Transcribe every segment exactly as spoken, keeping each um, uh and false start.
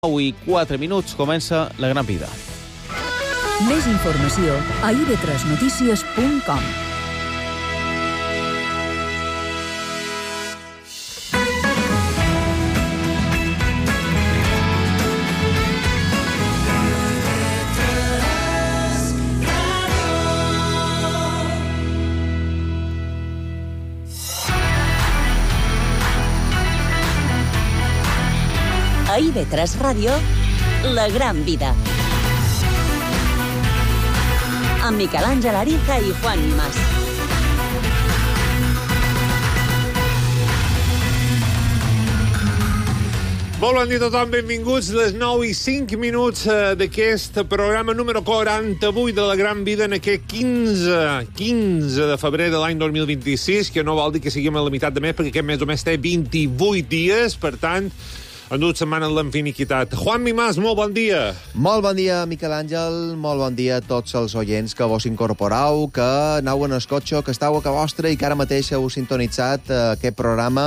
nou i quatre minuts comença La Gran Vida. Més informació a i ve tres notícies punt com. A i ve tres Ràdio, La Gran Vida. Amb Miquel Àngel Ariza i Juan Mas. Molt bon dia a tothom, benvinguts a les nou i cinc minuts d'aquest programa número quaranta-vuit de La Gran Vida en aquest quinze, quinze de febrer de l'any dos mil vint-i-sis, que no vol dir que siguem a la meitat de mes, perquè aquest mes només té vint-i-vuit dies, per tant, han dut setmana en l'infinitat. Juan Mas, molt bon dia. Molt bon dia, Miquel Àngel. Molt bon dia a tots els oients que vos incorporau, que aneu en el cotxe, que estàu a casa vostra i que ara mateix heu sintonitzat eh, aquest programa,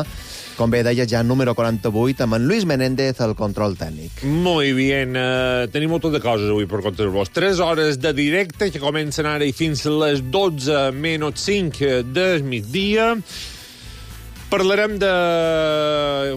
com bé deia, ja número quaranta-vuit, amb en Luis Menéndez, el control tècnic. Muy bien. Uh, tenim moltes de coses avui per contar-vos. Tres hores de directe que comencen ara i fins a les dotze menys cinc del migdia. Parlarem de...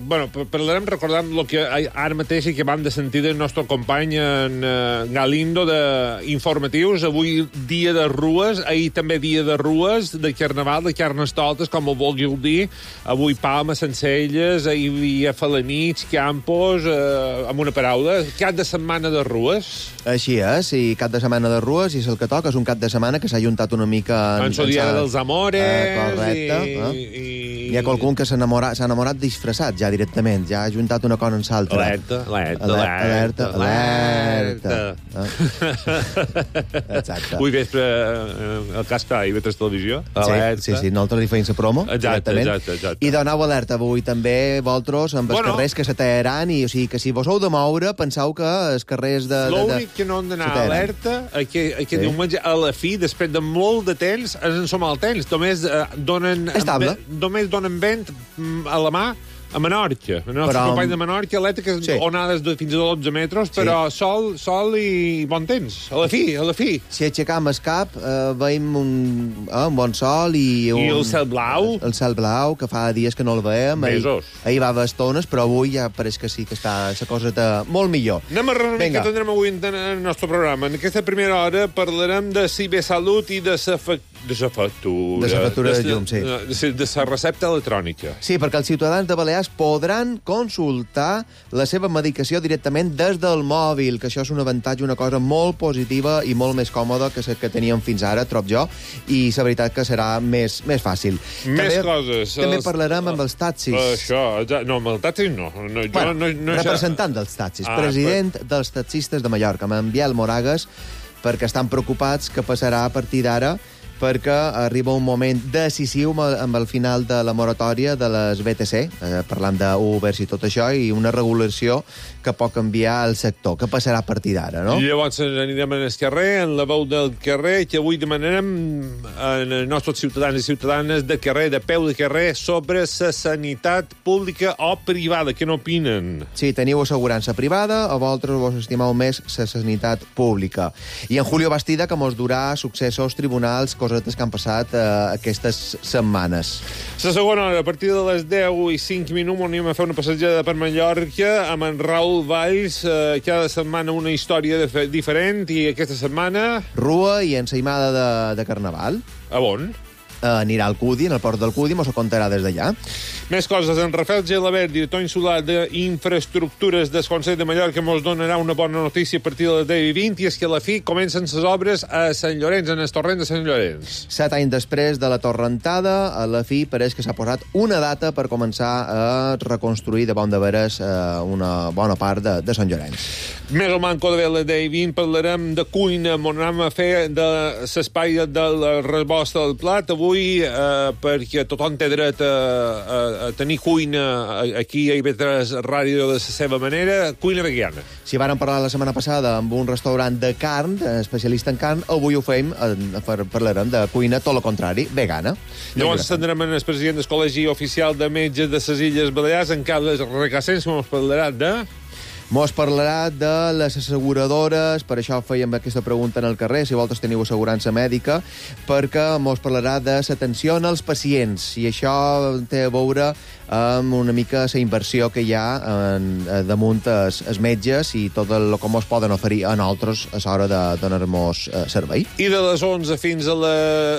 Bueno, parlarem, recordem el que ara mateix que vam de sentir del nostre company en uh, Galindo d'informatius. Avui dia de rues, ahir també dia de rues, de carnaval, de carnestoltes, com ho vulgueu dir. Avui Palma, Sencelles, ahir hi havia Falanits, Campos, uh, amb una paraula. Cap de setmana de rues. Així és, i cap de setmana de rues, i és el que toca, és un cap de setmana que s'ha juntat una mica... En, en el dia dels amores... Eh, correcte. I, eh? i... Hi ha qualcun que s'ha enamorat, enamorat disfressat ja directament, ja ha juntat una cosa amb l'altra. Alerta, alerta, alerta, alerta. Exacte. Avui vespre el Caspa i vetres televisió. Alerta. Sí, sí, sí, nosaltres li feim la promo. Exacte, exacte, exacte. I donau alerta avui també, vosaltres, amb els bueno, carrers que s'ateraran, i o sigui que si vos heu de moure, penseu que els carrers de... L'únic que no han d'anar alerta, que, que sí. Diumenge a la fi, després de molt de temps, en som al temps, només eh, donen... Estable. Només donen vent a la mà a Menorca. El nostre però... company de Menorca, elèctriques, sí. Onades de fins a dotze metres, però sí. sol, sol i bon temps. A la fi, a la fi. Si aixecam el cap, eh, veiem un, eh, un bon sol i... Un, I el cel blau. El cel blau, que fa dies que no el veiem. Mesos. Ahir, ahir va haver estones, però avui ja pareix que sí, que està la cosa de molt millor. Anem a reunir que tindrem avui en el nostre programa. En aquesta primera hora parlarem de cibersalut i de la de la factura. De la factura de, de llum, sí. De, de la recepta electrònica. Sí, perquè els ciutadans de Balears podran consultar la seva medicació directament des del mòbil, que això és un avantatge, una cosa molt positiva i molt més còmoda que la que teníem fins ara, trob jo, i la veritat que serà més, més fàcil. Més també, coses. També els... parlarem amb els taxis. Això, no, amb els taxis no. no, bueno, jo, no, no representant això... dels taxis, ah, president però... dels taxistes de Mallorca, amb en Biel Moragues, perquè estan preocupats que passarà a partir d'ara, perquè arriba un moment decisiu amb el final de la moratòria de les B T C, eh, parlant d'Ubers i tot això, i una regulació que pot canviar el sector. Què passarà a partir d'ara, no? I llavors anirem al carrer, en la veu del carrer, que avui demanarem als nostres ciutadans i ciutadanes de carrer, de peu de carrer, sobre la sanitat pública o privada. Què n'opinen? Sí, teniu assegurança privada o vosaltres vos estimeu més la sanitat pública. I en Julio Bastida, que mos durà successos tribunals, cosetes que han passat eh, aquestes setmanes. La segona hora, a partir de les deu i cinc minuts, anem a fer una passejada per Mallorca amb en Raül Valls. Eh, cada setmana una història de diferent, i aquesta setmana... Rua i ensaïmada de, de Carnaval. A on? Eh, anirà al Cudi, en el port del Cudi, mos ho contarà des d'allà. Més coses. En Rafael Gelabert, director insular d'Infraestructures del Consell de Mallorca, mos donarà una bona notícia a partir de les deu i vint, i és que a la fi comencen les obres a Sant Llorenç, en el torrent de Sant Llorenç. Set anys després de la torrentada, a la fi pareix que s'ha posat una data per començar a reconstruir de bon de veres eh, una bona part de, de Sant Llorenç. Més o manco de les deu i vint parlarem de cuina, on anem a fer de l'espai del rebost del plat avui, eh, perquè tothom té dret a, a a tenir cuina aquí a i ve tres Ràdio de la seva manera, cuina vegana. Si vàrem parlar la setmana passada amb un restaurant de carn, especialista en carn, avui ho fem, parlarem de cuina tot el contrari, vegana. Llavors tindrem el president del Col·legi Oficial de Metges de les Illes Balears, en Carles Recasens, que ens parlarà de... Mos parlarà de les asseguradores, per això fèiem aquesta pregunta en el carrer, si vosaltres teniu assegurança mèdica, perquè mos parlarà de l'atenció als pacients, i això té a veure amb una mica la inversió que hi ha en, damunt els, els metges i tot el que mos poden oferir a nosaltres a l'hora de donar-nos eh, servei. I de les onze fins a la...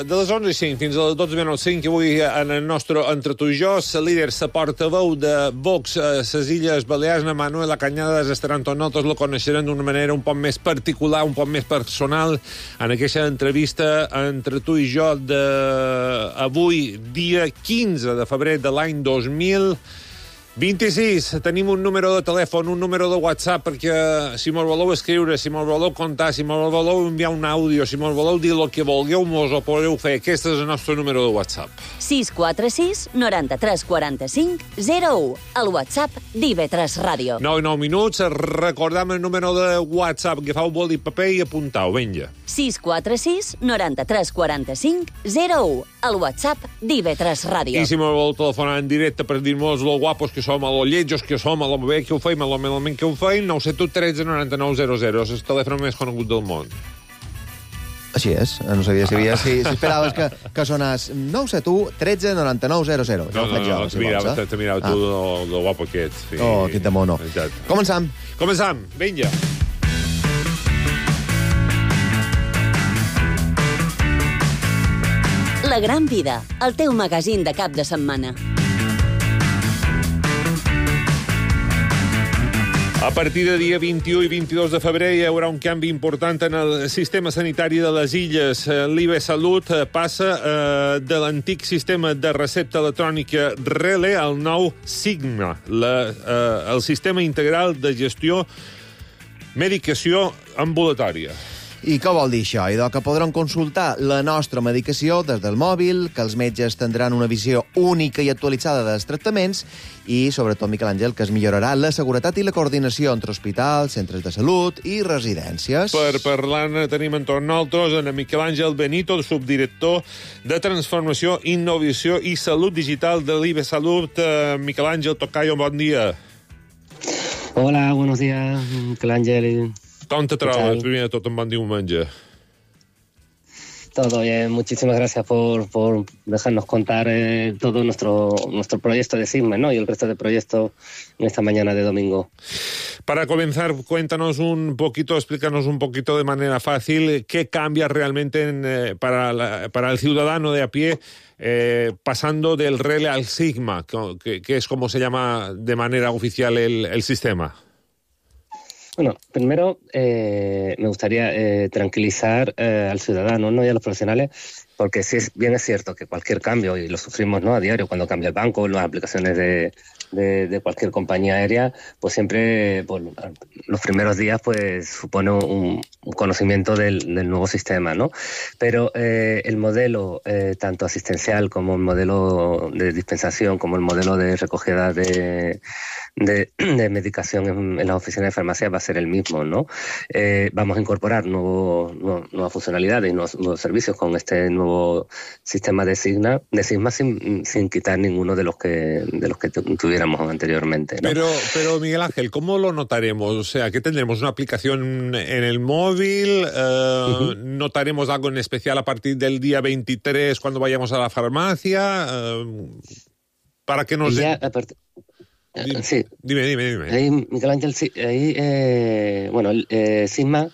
de les onze i cinc fins a les dotze menys cinc, avui en el nostre Entre tu i jo, la líder, la portaveu de Vox a les Illes Balears, na Manuela Cañadas, estarà amb tots nosaltres, lo coneixerem d'una manera un poc més particular, un poc més personal, en aquesta entrevista Entre tu i jo d'avui, dia quinze de febrer de l'any dos mil vint-i-sis. Tenim un número de telèfon, un número de WhatsApp, perquè si mos voleu escriure, si mos voleu contar, si mos voleu enviar un àudio, si mos voleu dir el que vulgueu, mos ho podeu fer. Aquest és el nostre número de WhatsApp. sis quatre sis, noranta-tres, quaranta-cinc, zero u. El WhatsApp d'I V tres Ràdio. nou i nou minuts. Recordam el número de WhatsApp. Agafau boli i paper i apuntau. Vinga. sis quatre sis, noranta-tres, quaranta-cinc, zero u. El WhatsApp d'I V tres Ràdio. I si me vol telefonar en directe per dir-nos lo guapos que som, a lo lletjos que som, a lo bé que ho feim, a lo malament que ho feim, nou set u tretze noranta-nou zero zero. És el telèfon més conegut del món. Així és, no sabia si, havia, si, si esperaves que, que sonàs nou set u tretze noranta-nou zero zero. No, no, no, te mirava, te, te mirava tu ah. lo guapo que ets. Sí. Oh, aquest de mono. Exacte. Començam. Començam, vinga. La Gran Vida, el teu magazín de cap de setmana. A partir de dia vint-i-u i vint-i-dos de febrer hi haurà un canvi important en el sistema sanitari de les Illes. L'I B Salut passa eh, de l'antic sistema de recepta electrònica RELE al nou SIGMA, la, eh, el sistema integral de gestió medicació ambulatòria. I què vol dir això? Idò que podran consultar la nostra medicació des del mòbil, que els metges tindran una visió única i actualitzada dels tractaments i, sobretot, Miquel Àngel, que es millorarà la seguretat i la coordinació entre hospitals, centres de salut i residències. Per parlar-ne tenim entorn nosaltres en Miquel Àngel Benito, subdirector de Transformació, Innovació i Salut Digital de l'I B Salut. Uh, Miquel Àngel Tocayo, bon dia. Hola, buenos días, Miquel Àngel. Com te trobes? Primer de tot, un bon diumenge. Todo bien, muchísimas gracias por, por dejarnos contar eh, todo nuestro, nuestro proyecto de SIGMA, ¿no? Y el resto de proyectos en esta mañana de domingo. Para comenzar, cuéntanos un poquito, explícanos un poquito de manera fácil qué cambia realmente en, eh, para, la, para el ciudadano de a pie eh, pasando del RELE al SIGMA, que, que es como se llama de manera oficial el, el sistema. Bueno, primero eh, me gustaría eh, tranquilizar eh, al ciudadano, ¿no? Y a los profesionales, porque sí es, bien es cierto que cualquier cambio, y lo sufrimos, ¿no? A diario, cuando cambia el banco, las aplicaciones de, de, de cualquier compañía aérea, pues siempre, pues, los primeros días, pues supone un, un conocimiento del, del nuevo sistema, ¿no? Pero eh, el modelo, eh, tanto asistencial como el modelo de dispensación, como el modelo de recogida de... De, de medicación en, en las oficinas de farmacia va a ser el mismo, ¿no? Eh, vamos a incorporar nuevo, nuevo, nuevas funcionalidades y nuevos, nuevos servicios con este nuevo sistema de SIGMA, de SIGMA sin, sin quitar ninguno de los que de los que tuviéramos anteriormente, ¿no? Pero, pero Miguel Ángel, ¿cómo lo notaremos? O sea, ¿qué tendremos? ¿Una aplicación en el móvil? Eh, uh-huh. ¿Notaremos algo en especial a partir del día veintitrés cuando vayamos a la farmacia? Eh, ¿Para que nos... Ya, a part... Dime, sí. dime, dime, dime. Ahí, Miquel Ángel, sí, ahí, eh, bueno, eh, SIGMA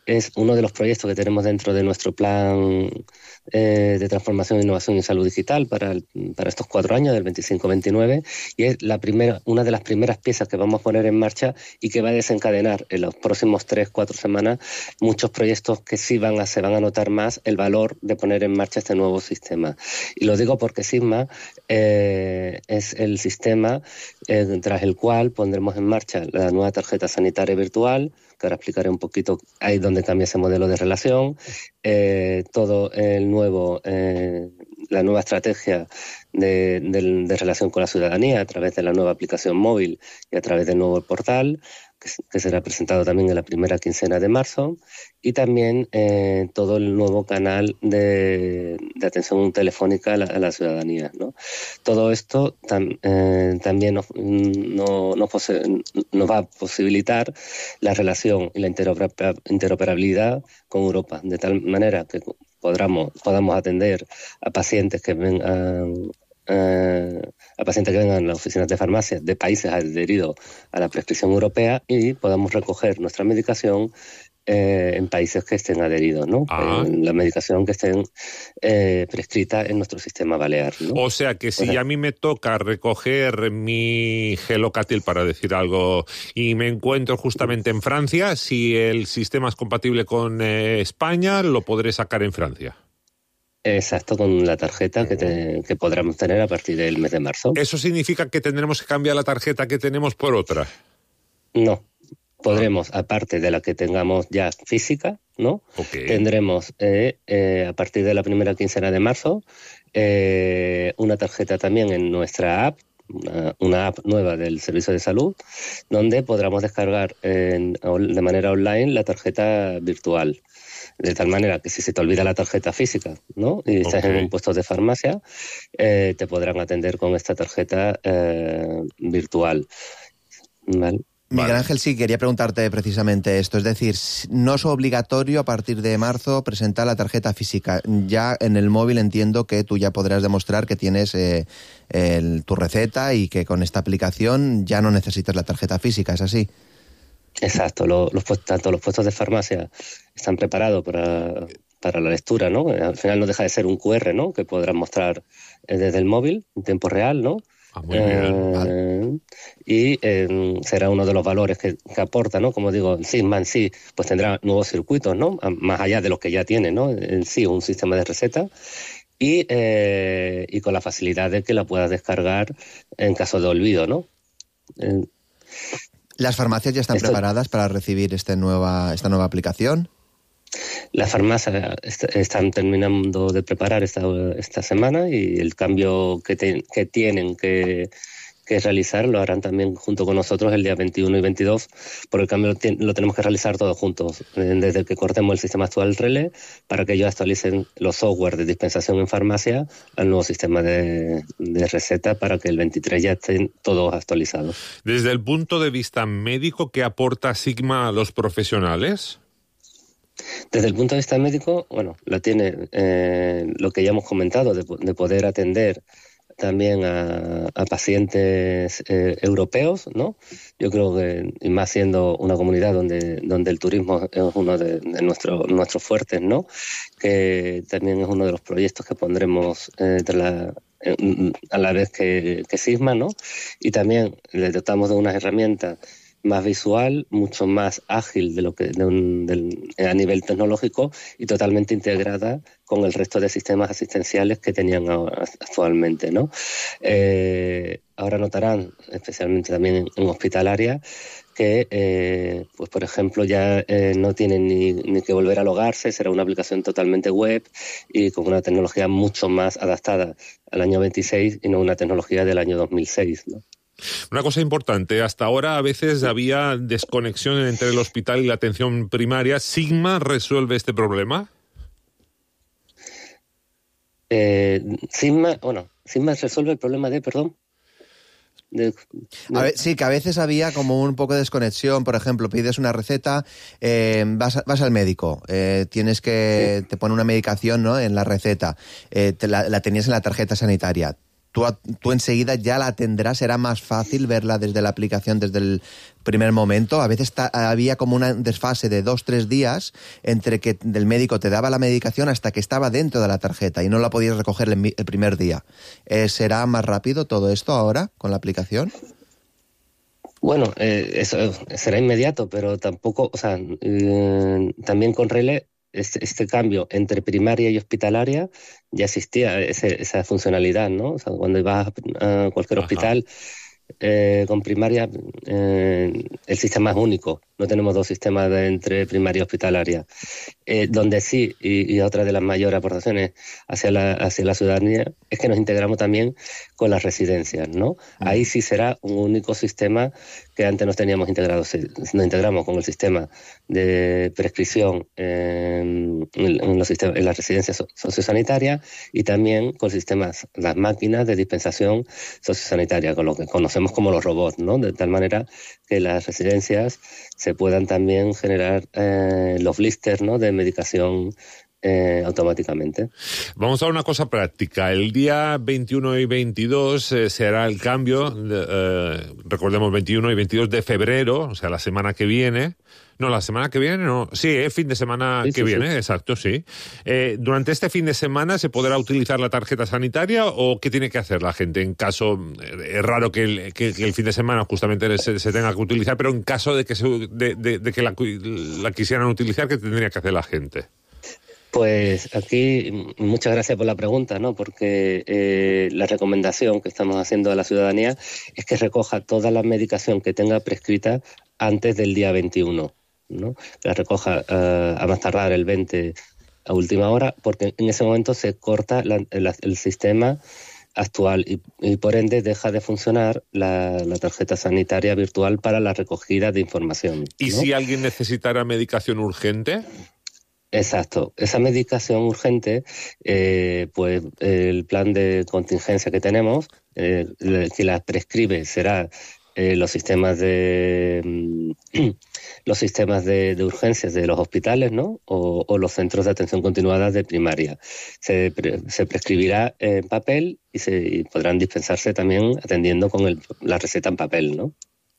es uno de los proyectos que tenemos dentro de nuestro plan eh, de transformación, innovación y salud digital para, el, para estos cuatro años, del veinticinco veintinueve, y es la primera, una de las primeras piezas que vamos a poner en marcha y que va a desencadenar en los próximos tres, cuatro semanas muchos proyectos que sí van a, se van a notar más el valor de poner en marcha este nuevo sistema. Y lo digo porque SIGMA eh, es el sistema eh, tras el cual pondremos en marcha la nueva tarjeta sanitaria virtual, que ahora explicaré un poquito ahí donde cambia ese modelo de relación, eh, todo el nuevo, eh, la nueva estrategia de, de, de relación con la ciudadanía a través de la nueva aplicación móvil y a través del nuevo portal. que, que será presentado también en la primera quincena de marzo, y también eh, todo el nuevo canal de, de atención telefónica a la, a la ciudadanía, ¿no? Todo esto tam, eh, también nos, no, nos, pose, nos va a posibilitar la relación y la interoperabilidad con Europa, de tal manera que podamos, podamos atender a pacientes que vengan eh, a pacientes que vengan a las oficinas de farmacia de países adheridos a la prescripción europea y podamos recoger nuestra medicación eh, en países que estén adheridos, ¿no? Ah. Eh, la medicación que estén eh, prescrita en nuestro sistema balear, ¿no? O sea que si a mí me toca recoger mi Gelocatil, para decir algo, y me encuentro justamente en Francia, si el sistema es compatible con eh, España, lo podré sacar en Francia. Exacto, con la tarjeta que, te, que podremos tener a partir del mes de marzo. ¿Eso significa que tendremos que cambiar la tarjeta que tenemos por otra? No, podremos, aparte de la que tengamos ya física, ¿no? Okay. Tendremos eh, eh, a partir de la primera quincena de marzo eh, una tarjeta también en nuestra app, una, una app nueva del Servicio de Salud, donde podremos descargar en, de manera online la tarjeta virtual. De tal manera que si se te olvida la tarjeta física, ¿no? Y estás okay. en un puesto de farmacia, eh, te podrán atender con esta tarjeta eh, virtual. ¿Vale? Miguel Ángel, sí, quería preguntarte precisamente esto. Es decir, no es obligatorio a partir de marzo presentar la tarjeta física. Ya en el móvil entiendo que tú ya podrás demostrar que tienes eh, el, tu receta y que con esta aplicación ya no necesitas la tarjeta física, ¿es así? Exacto, los, los, tanto los puestos de farmacia están preparados para, para la lectura, ¿no? Al final no deja de ser un cu erre, ¿no? Que podrán mostrar desde el móvil en tiempo real, ¿no? Ah, muy bien. Eh, vale. Y eh, será uno de los valores que, que aporta, ¿no? Como digo, Sigma en sí, pues tendrá nuevos circuitos, ¿no? Más allá de los que ya tiene, ¿no? En sí, un sistema de receta. Y, eh, y con la facilidad de que la puedas descargar en caso de olvido, ¿no? Eh, ¿Las farmacias ya están Esto... preparadas para recibir este nueva, esta nueva aplicación? Las farmacias est están terminando de preparar esta, esta semana y el cambio que, te, que tienen que, que realizar lo harán también junto con nosotros el día veintiuno y veintidós, porque el cambio lo, lo tenemos que realizar todos juntos, desde que cortemos el sistema actual Relé para que ellos actualicen los software de dispensación en farmacia al nuevo sistema de, de receta para que el veintitrés ya estén todos actualizados. Desde el punto de vista médico, ¿qué aporta Sigma a los profesionales? Desde el punto de vista médico, bueno, la tiene eh, lo que ya hemos comentado, de, de poder atender también a, a pacientes eh, europeos, ¿no? Yo creo que, y más siendo una comunidad donde, donde el turismo es uno de, de nuestro, nuestros fuertes, ¿no? Que también es uno de los proyectos que pondremos eh, de la, eh, a la vez que, que Sigma, ¿no? Y también le dotamos de unas herramientas más visual, mucho más ágil de lo que de un, del, a nivel tecnológico y totalmente integrada con el resto de sistemas asistenciales que tenían actualmente, ¿no? Eh, ahora notarán, especialmente también en, en hospitalaria, que, eh, pues por ejemplo, ya eh, no tienen ni, ni que volver a logarse, será una aplicación totalmente web y con una tecnología mucho más adaptada al año veintiséis y no una tecnología del año dos mil seis, ¿no? Una cosa importante, hasta ahora a veces había desconexión entre el hospital y la atención primaria. ¿Sigma resuelve este problema? Eh, Sigma, bueno, Sigma resuelve el problema de, perdón. De, de... A ver, sí, que a veces había como un poco de desconexión. Por ejemplo, pides una receta, eh, vas, vas al médico, eh, tienes que sí. te pone una medicación, ¿no? En la receta, eh, te la, la tenías en la tarjeta sanitaria. Tú, tú enseguida ya la tendrás, será más fácil verla desde la aplicación desde el primer momento. A veces ta, había como un desfase de dos, tres días entre que el médico te daba la medicación hasta que estaba dentro de la tarjeta y no la podías recoger el, el primer día. Eh, ¿Será más rápido todo esto ahora con la aplicación? Bueno, eh, eso será inmediato, pero tampoco, o sea, eh, también con Relé Este, este cambio entre primaria y hospitalaria ya existía ese, esa funcionalidad, ¿no? O sea, cuando ibas a cualquier Ajá. hospital eh, con primaria, eh, el sistema es único, no tenemos dos sistemas de entre primaria y hospitalaria. Eh, donde sí, y, y otra de las mayores aportaciones hacia la, hacia la ciudadanía, es que nos integramos también con las residencias, ¿no? Ahí sí será un único sistema que antes no teníamos integrado. Nos integramos con el sistema de prescripción en, en, los sistemas, en las residencias sociosanitarias y también con sistemas, las máquinas de dispensación sociosanitaria, con lo que conocemos como los robots, ¿no? De tal manera que las residencias se puedan también generar eh, los blisters, ¿no? De medicación eh, automáticamente. Vamos a una cosa práctica. El día veintiuno y veintidós eh, se hará el cambio, de, eh, recordemos veintiuno y veintidós de febrero, o sea, la semana que viene. No, la semana que viene, no. Sí, el eh, fin de semana sí, que sí, viene, sí. Exacto, sí. Eh, ¿Durante este fin de semana se podrá utilizar la tarjeta sanitaria o qué tiene que hacer la gente en caso, eh, es raro que el, que, que el fin de semana justamente se, se tenga que utilizar, pero en caso de que, se, de, de, de que la, la quisieran utilizar, ¿qué tendría que hacer la gente? Pues aquí, muchas gracias por la pregunta, ¿no? Porque eh, la recomendación que estamos haciendo a la ciudadanía es que recoja toda la medicación que tenga prescrita antes del día veintiuno, ¿no? La recoja uh, a más tardar el veinte a última hora, porque en ese momento se corta la, la, el sistema actual y, y por ende deja de funcionar la, la tarjeta sanitaria virtual para la recogida de información, ¿no? ¿Y si alguien necesitara medicación urgente? Exacto. Esa medicación urgente, eh, pues el plan de contingencia que tenemos, eh, que la prescribe será eh, los sistemas de los sistemas de, de urgencias de los hospitales, ¿no? O, o los centros de atención continuada de primaria. Se, pre, se prescribirá en papel y se y podrán dispensarse también atendiendo con el, la receta en papel, ¿no?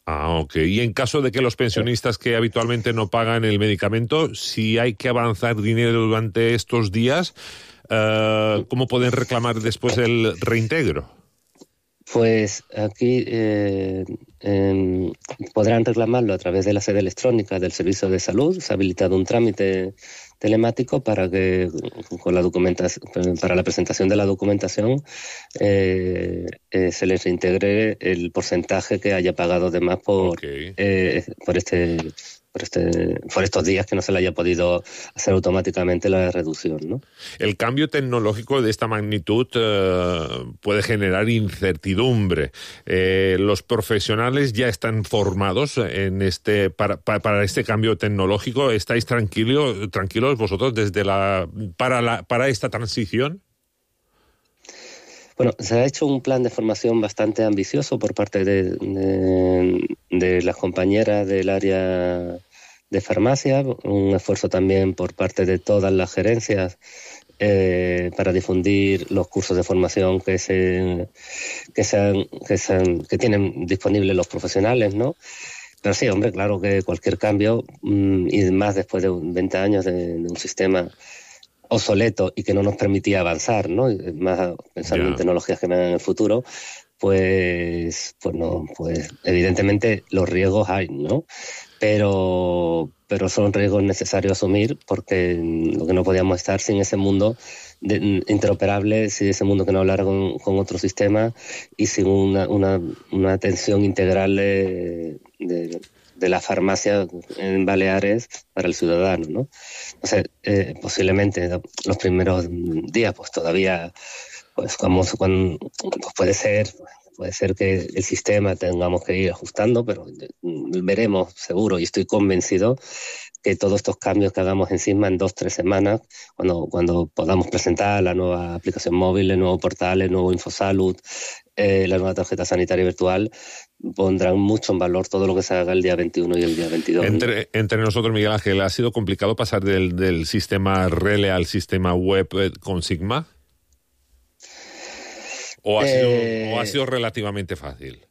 Ah, ok. Y en caso de que los pensionistas que habitualmente no pagan el medicamento, si hay que avanzar dinero durante estos días, uh, ¿cómo pueden reclamar después el reintegro? Pues aquí eh, eh, podrán reclamarlo a través de la sede electrónica del Servicio de Salud. Se ha habilitado un trámite telemático para que con la documentación, para la presentación de la documentación eh, eh, se les reintegre el porcentaje que haya pagado de más por okay. eh, por este por este por estos días que no se le haya podido hacer automáticamente la reducción, ¿no? El cambio tecnológico de esta magnitud eh, puede generar incertidumbre. Eh, los profesionales ya están formados en este para, para, para este cambio tecnológico. ¿Estáis tranquilos tranquilos vosotros desde la para la para esta transición? Bueno, se ha hecho un plan de formación bastante ambicioso por parte de, de, de las compañeras del área de farmacia, un esfuerzo también por parte de todas las gerencias eh, para difundir los cursos de formación que se que sean, que sean, que tienen disponibles los profesionales, ¿no? Pero sí, hombre, claro que cualquier cambio, mmm, y más después de veinte años de, de un sistema obsoleto y que no nos permitía avanzar, ¿no? Más pensando yeah. en tecnologías que vengan en el futuro, pues, pues no, pues evidentemente los riesgos hay, ¿no? Pero, pero son riesgos necesarios asumir porque lo que no podíamos estar sin ese mundo de, interoperable, sin ese mundo que no hablara con, con otro sistema y sin una, una, una atención integral de, de de la farmacia en Baleares para el ciudadano, ¿no? O sea, eh, posiblemente los primeros días, pues todavía, pues como cuando, pues puede ser, puede ser que el sistema tengamos que ir ajustando, pero veremos seguro y estoy convencido que todos estos cambios que hagamos encima en dos, tres semanas, cuando, cuando podamos presentar la nueva aplicación móvil, el nuevo portal, el nuevo Infosalud, eh, la nueva tarjeta sanitaria virtual, pondrán mucho en valor todo lo que se haga el día veintiuno y el día veintidós. Entre, entre nosotros, Miguel Ángel, ¿ha sido complicado pasar del, del sistema Rele al sistema web con Sigma? ¿O ha, eh... sido, o ha sido relativamente fácil?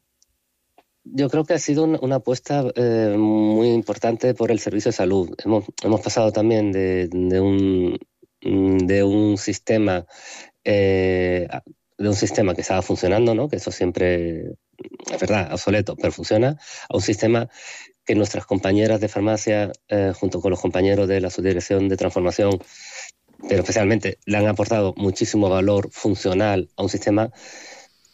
Yo creo que ha sido una, una apuesta eh, muy importante por el servicio de salud. Hemos, hemos pasado también de, de, un, de un sistema eh, de un sistema que estaba funcionando, ¿no? Que eso siempre es verdad, obsoleto, pero funciona, a un sistema que nuestras compañeras de farmacia, eh, junto con los compañeros de la subdirección de transformación, pero especialmente le han aportado muchísimo valor funcional a un sistema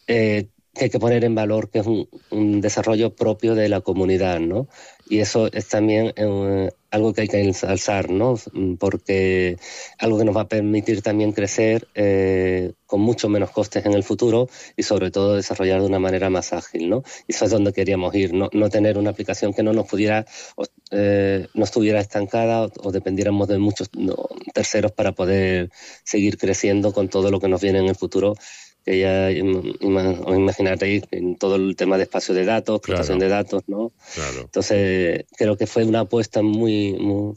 eh, que hay que poner en valor que es un, un desarrollo propio de la comunidad, ¿no? Y eso es también eh, algo que hay que alzar, ¿no? Porque algo que nos va a permitir también crecer eh, con mucho menos costes en el futuro y sobre todo desarrollar de una manera más ágil, ¿no? Y eso es donde queríamos ir, no, no tener una aplicación que no nos pudiera, eh, no estuviera estancada o, o dependiéramos de muchos no, terceros para poder seguir creciendo con todo lo que nos viene en el futuro. Que ya os imaginaréis en todo el tema de espacio de datos, protección claro. de datos, ¿no? Claro. Entonces, creo que fue una apuesta muy, muy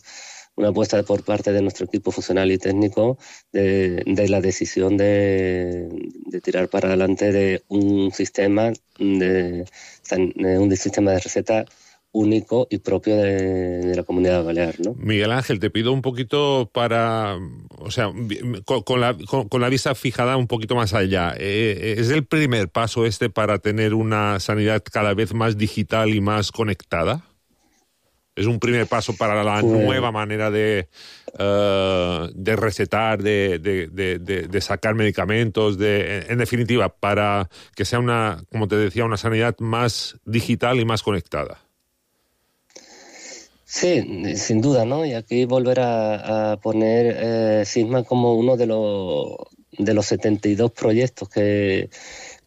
una apuesta por parte de nuestro equipo funcional y técnico de, de la decisión de, de tirar para adelante de un sistema de, de un sistema de receta único y propio de, de la Comunidad Balear, ¿no? Miguel Ángel, te pido un poquito para, o sea, con, con, la, con, con la vista fijada un poquito más allá. Eh, ¿Es el primer paso este para tener una sanidad cada vez más digital y más conectada? ¿Es un primer paso para la pues, nueva manera de, uh, de recetar, de, de, de, de, de sacar medicamentos, de, en definitiva, para que sea una, como te decía, una sanidad más digital y más conectada? Sí, sin duda, ¿no? Y aquí volver a, a poner eh, Sisma como uno de los, de los setenta y dos proyectos que,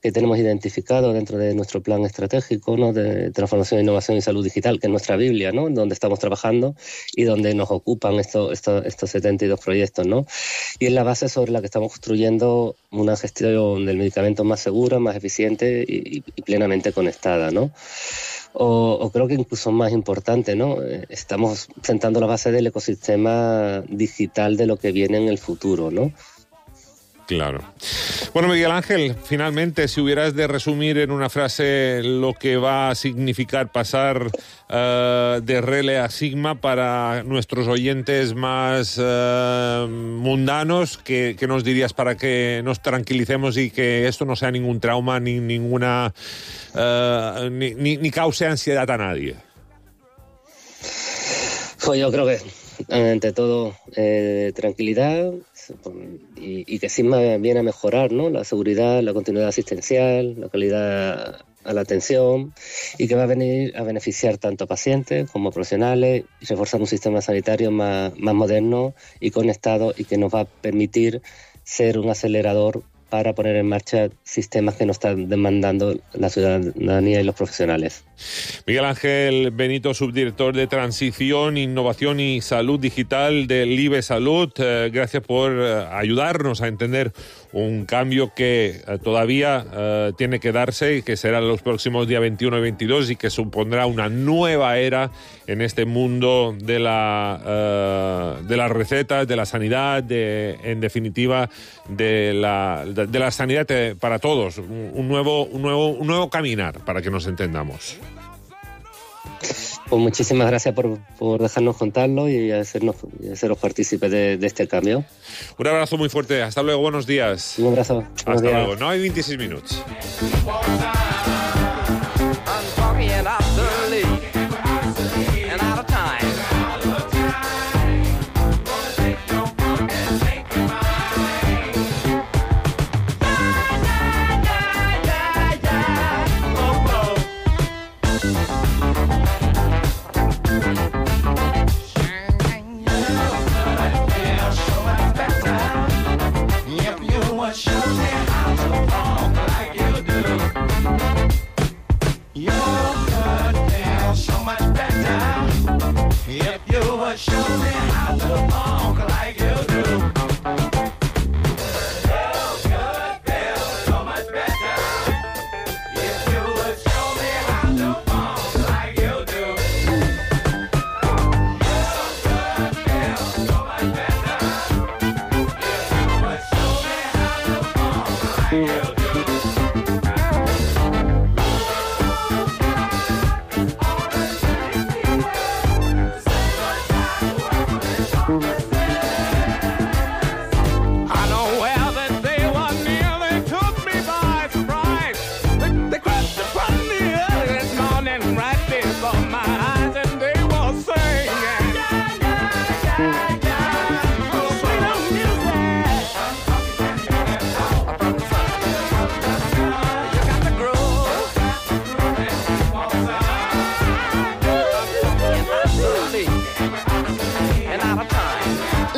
que tenemos identificados dentro de nuestro plan estratégico, ¿no? De transformación, innovación y salud digital, que es nuestra Biblia, ¿no? Donde estamos trabajando y donde nos ocupan estos, estos, estos setenta y dos proyectos, ¿no? Y es la base sobre la que estamos construyendo una gestión del medicamento más segura, más eficiente y, y plenamente conectada, ¿no? O, o creo que incluso más importante, ¿no? Estamos sentando la base del ecosistema digital de lo que viene en el futuro, ¿no? Claro. Bueno, Miguel Ángel, finalmente, si hubieras de resumir en una frase lo que va a significar pasar uh, de Rele a Sigma para nuestros oyentes más uh, mundanos, ¿qué, ¿qué nos dirías para que nos tranquilicemos y que esto no sea ningún trauma ni ninguna uh, ni, ni, ni cause ansiedad a nadie? Pues yo creo que ante todo eh, tranquilidad y, y que Sigma viene a mejorar, ¿no? La seguridad, la continuidad asistencial, la calidad a la atención y que va a venir a beneficiar tanto a pacientes como a profesionales y reforzar un sistema sanitario más, más moderno y conectado y que nos va a permitir ser un acelerador para poner en marcha sistemas que nos están demandando la ciudadanía y los profesionales. Miguel Ángel Benito, subdirector de Transición, Innovación y Salud Digital del I B E Salud. Eh, gracias por eh, ayudarnos a entender un cambio que eh, todavía eh, tiene que darse y que será los próximos días veintiuno y veintidós y que supondrá una nueva era en este mundo de la eh, de las recetas, de la sanidad, de, en definitiva de la de, de la sanidad para todos, un, un nuevo un nuevo un nuevo caminar, para que nos entendamos. Pues muchísimas gracias por, por dejarnos contarlo y hacernos y haceros partícipes de, de este cambio. Un abrazo muy fuerte. Hasta luego. Buenos días. Un abrazo. Hasta Buenos días. luego. No hay veintiséis minutos.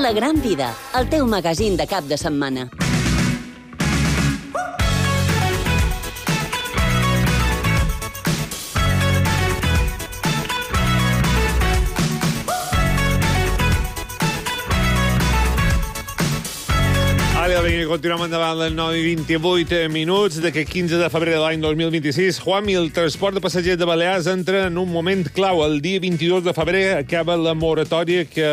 La Gran Vida, el teu magazín de cap de setmana. Ara, vinga, continuem endavant les nou i vint-i-vuit minuts d'aquest quinze de febrer de l'any dos mil vint-i-sis. Juanmi, el transport de passatgers de Balears entra en un moment clau. El dia vint-i-dos de febrer acaba la moratòria que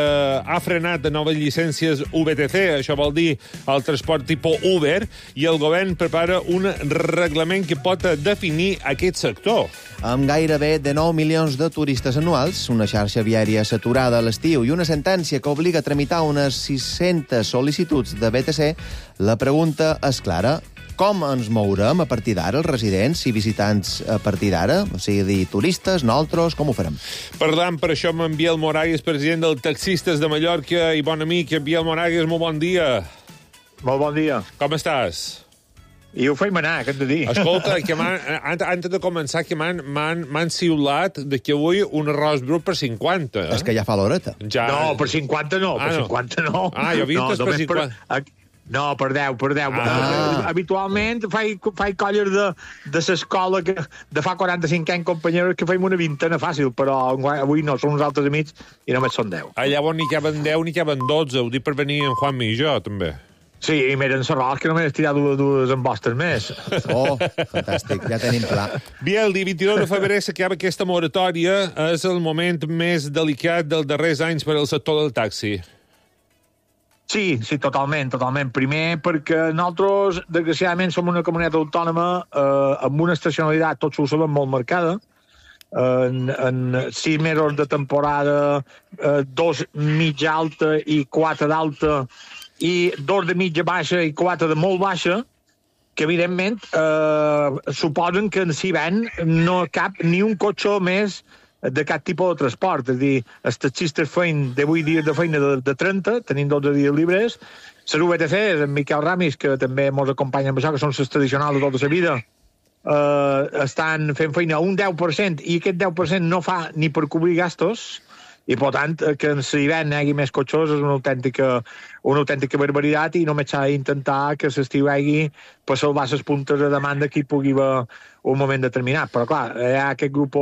ha frenat de noves llicències U B T C. Això vol dir el transport tipus Uber, i el govern prepara un reglament que pot definir aquest sector. Amb gairebé de nou milions de turistes anuals, una xarxa viària saturada a l'estiu i una sentència que obliga a tramitar unes sis-centes sol·licituds de B T C, la pregunta és clara. Com ens mourem a partir d'ara, els residents i visitants a partir d'ara? O sigui, turistes, nosaltres, com ho farem? Parlant per això amb en Biel Moragues, president del Taxistes de Mallorca i bon amic. Biel Moragues, molt bon dia. Molt bon dia. Com estàs? I ho feim anar, què hem de dir? Escolta, que antes de començar, que m'han siulat de que avui un arròs brut per cinquanta. És que ja fa l'horeta. Ja... No, per cinquanta no, ah, per no. cinquanta no. Ah, jo he vist no, per cinquanta. Per... No, per deu, per deu. Ah. Habitualment faig, faig colles de, de l'escola que de fa quaranta-cinc anys, companyeros, que feim una vintena fàcil, però avui no, són uns altres amics i només són deu. Allà on n'hi caben deu, n'hi caben dotze. Ho dic per venir en Juanmi i jo, també. Sí, i m'eren serrals que només he tirat dues, dues embostes més. Oh, fantàstic, ja tenim pla. Biel, el dia vint-i-dos de febrer s'acaba aquesta moratòria. És el moment més delicat dels darrers anys per al sector del taxi. Sí, sí, totalment, totalment. Primer, perquè nosaltres, desgraciadament, som una comunitat autònoma eh, amb una estacionalitat, tots ho sabem, molt marcada. En, en sis mesos de temporada, eh, dos mitja alta i quatre d'alta, i dos de mitja baixa i quatre de molt baixa, que evidentment eh, suposen que en Siben no cap ni un cotxe més de cap tipus de transport. És a dir, els taxistes feien divuit dies de feina de, de trenta, tenim dotze dies llibres. Les U B T C, en Miquel Ramis, que també ens acompanyen amb això, que són les tradicionals de tota la vida, eh, estan fent feina a un deu per cent, i aquest deu per cent no fa ni per cobrir gastos, i per tant que en l'hivern hi hagi més cotxes és una autèntica, una autèntica barbaritat, i només s'ha d'intentar que l'estiu hi hagi per salvar les puntes de demanda que hi pugui haver un moment determinat. Però clar, hi ha aquest grup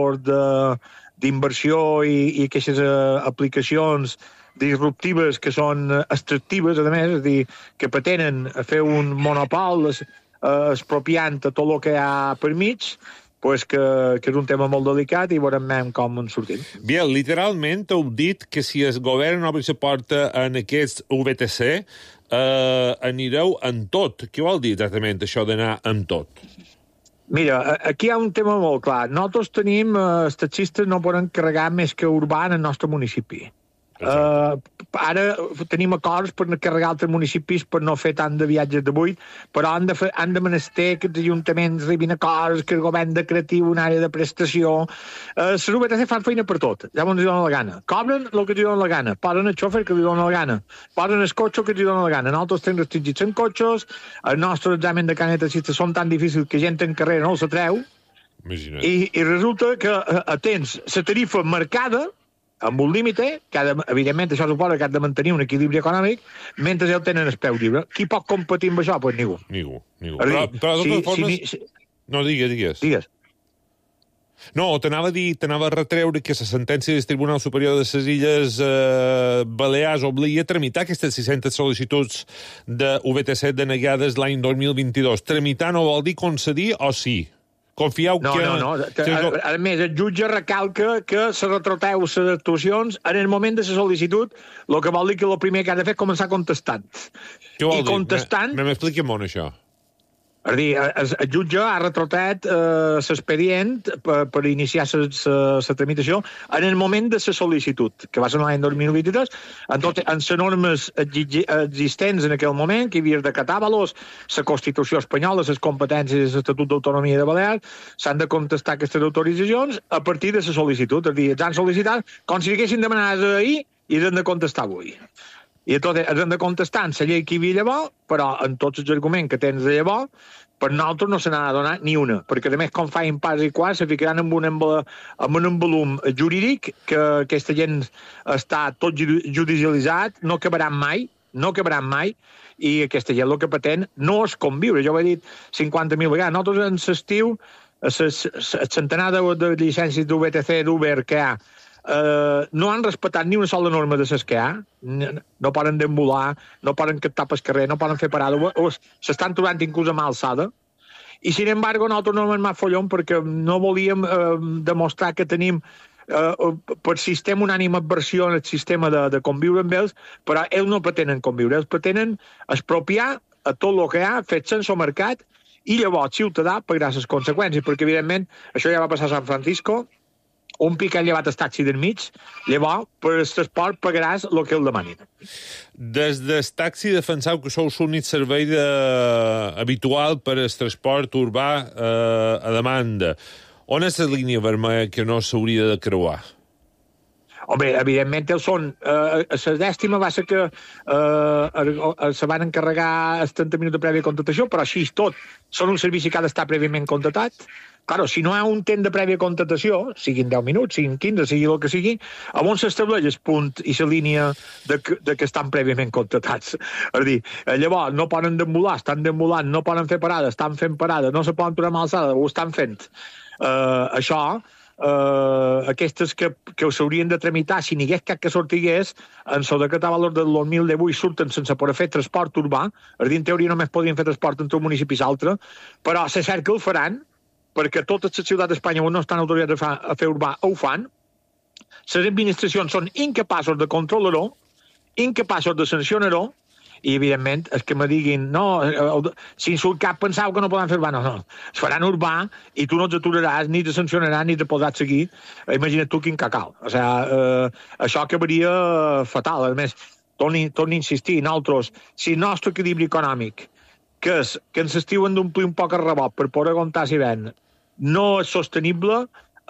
d'inversió i, i aquestes uh, aplicacions disruptives que són extractives, a més, és a dir, que pretenen fer un monopol es, uh, expropiant tot el que hi ha per mig, pues que, que és un tema molt delicat i veurem com en sortim. Biel, literalment heu dit que si el govern obre la porta en aquests U B T C, eh, anireu en tot. Què vol dir exactament això d'anar en tot? Mira, aquí hi ha un tema molt clar. Nosaltres tenim, eh, els taxistes no poden carregar més que urbà en el nostre municipi. Uh, ara tenim acords per carregar altres municipis per no fer tant de viatges de buit, però han de, fer, han de menester que els ajuntaments arribin a acords, que el govern decreti una àrea de prestació. Uh, les U B T C fan feina per tot, ja ens donen la gana. Cobren el que els donen la gana, posen el xòfer que li donen la gana, posen el cotxe que els donen la gana. Nosaltres tenim restringits en cotxes, el nostre examen de carnet de taxista són tan difícils que gent en carrera no els atreu, i, i resulta que uh, tens la tarifa marcada amb un límit, que ha de, evidentment això suposa que ha de mantenir un equilibri econòmic, mentre el tenen el peu lliure. Qui pot competir amb això? Doncs pues ningú. Ningú, ningú. Però, però de totes si, formes... Si, si... No, digues, digues. Digues. No, t'anava a dir, t'anava a retreure que la sentència del Tribunal Superior de les Illes eh, Balears obliga a tramitar aquestes sis-centes sol·licituds de U B T C denegades l'any dos mil vint-i-dos. Tramitar no vol dir concedir o sí? Confieu no, que... No, no, no. A, a més, el jutge recalca que se retroteu les actuacions en el moment de la sol·licitud, el que vol dir que el primer que ha de fer és començar contestant. Què vol I dir? contestant... M'expliqui molt això. És a dir, el, el jutge ha retrotat eh, l'expedient per, per iniciar la tramitació en el moment de la sol·licitud, que va ser l'any dos mil vint-i-tres, en, tot, en les normes existents en aquell moment, que hi havia de catar-los, la Constitució espanyola, les competències de l'Estatut d'Autonomia de Balears, s'han de contestar aquestes autoritzacions a partir de la sol·licitud. És a dir, els han sol·licitat com si haguessin demanat ahir i els han de contestar avui. I tot has de contestar en la llei que hi havia llavors, però en tots els arguments que tens de llavors, per nosaltres no se n'ha de donar ni una, perquè a més com feien pas i quart se ficaran en un, en un volum jurídic que aquesta gent està tot judicialitzat, no acabaran mai, no acabaran mai, i aquesta gent el que pretén no és conviure. Jo ho he dit cinquanta mil vegades. Nosaltres en l'estiu, el centenar de, de llicències d'U B T C, d'Uber que hi ha, Uh, no han respectat ni una sola norma de les que hi ha, no poden deambular, no poden captar pel carrer, no poden fer parada, o, o s'estan trobant inclús a mà alçada, i sin embargo nosaltres no hem anat follon perquè no volíem uh, demostrar que tenim uh, per sistema unànime adversió en el sistema de, de conviure amb ells, però ells no pretenen conviure, ells pretenen expropiar a tot el que hi ha, fet sense mercat, i llavors ciutadà pagarà les conseqüències, perquè evidentment això ja va passar a San Francisco, un pic ha llevat el taxi del mig, llavors, per el transport pagaràs el que el demanin. Des del taxi defenseu que sou l'únic servei de... habitual per al transport urbà eh, a demanda. On és la línia vermella que no s'hauria de creuar? Home, evidentment, ells són... Eh, la dèstima va ser que eh, se van encarregar els trenta minuts de prèvia contractació, però així tot, són un servici que ha d'estar prèviament contractat. Claro, si no hi ha un temps de prèvia contractació, siguin deu minuts, siguin quinze, sigui el que sigui, on s'estableix el punt i la línia de que, de que estan prèviament contractats. És a dir, llavors, no poden deambular, estan deambulant, no poden fer parada, estan fent parada, no se poden aturar amb alçada, ho estan fent. Uh, això, uh, aquestes que, que s'haurien de tramitar, si n'hi hagués cap que sortigués, en el decret de valor del dos mil divuit surten sense poder fer transport urbà, és a dir, en teoria només podrien fer transport entre un municipi i l'altre, però se cert que el faran, perquè totes les ciutats d'Espanya on no estan autoritzades a, a fer urbà ho fan, les administracions són incapaços de controlar-ho, incapaços de sancionar-ho, i evidentment és que me diguin no, si surt cap pensau que no poden fer urbà, no, no, es faran urbà i tu no els aturaràs, ni te sancionaràs ni te podràs seguir, imagina't tu quin cacau, o sigui, eh, això acabaria fatal. A més, torni, torni a insistir, nosaltres, si el nostre equilibri econòmic que és que ens estiuen d'omplir un poc el rebot per poder aguantar l'hivern, no és sostenible,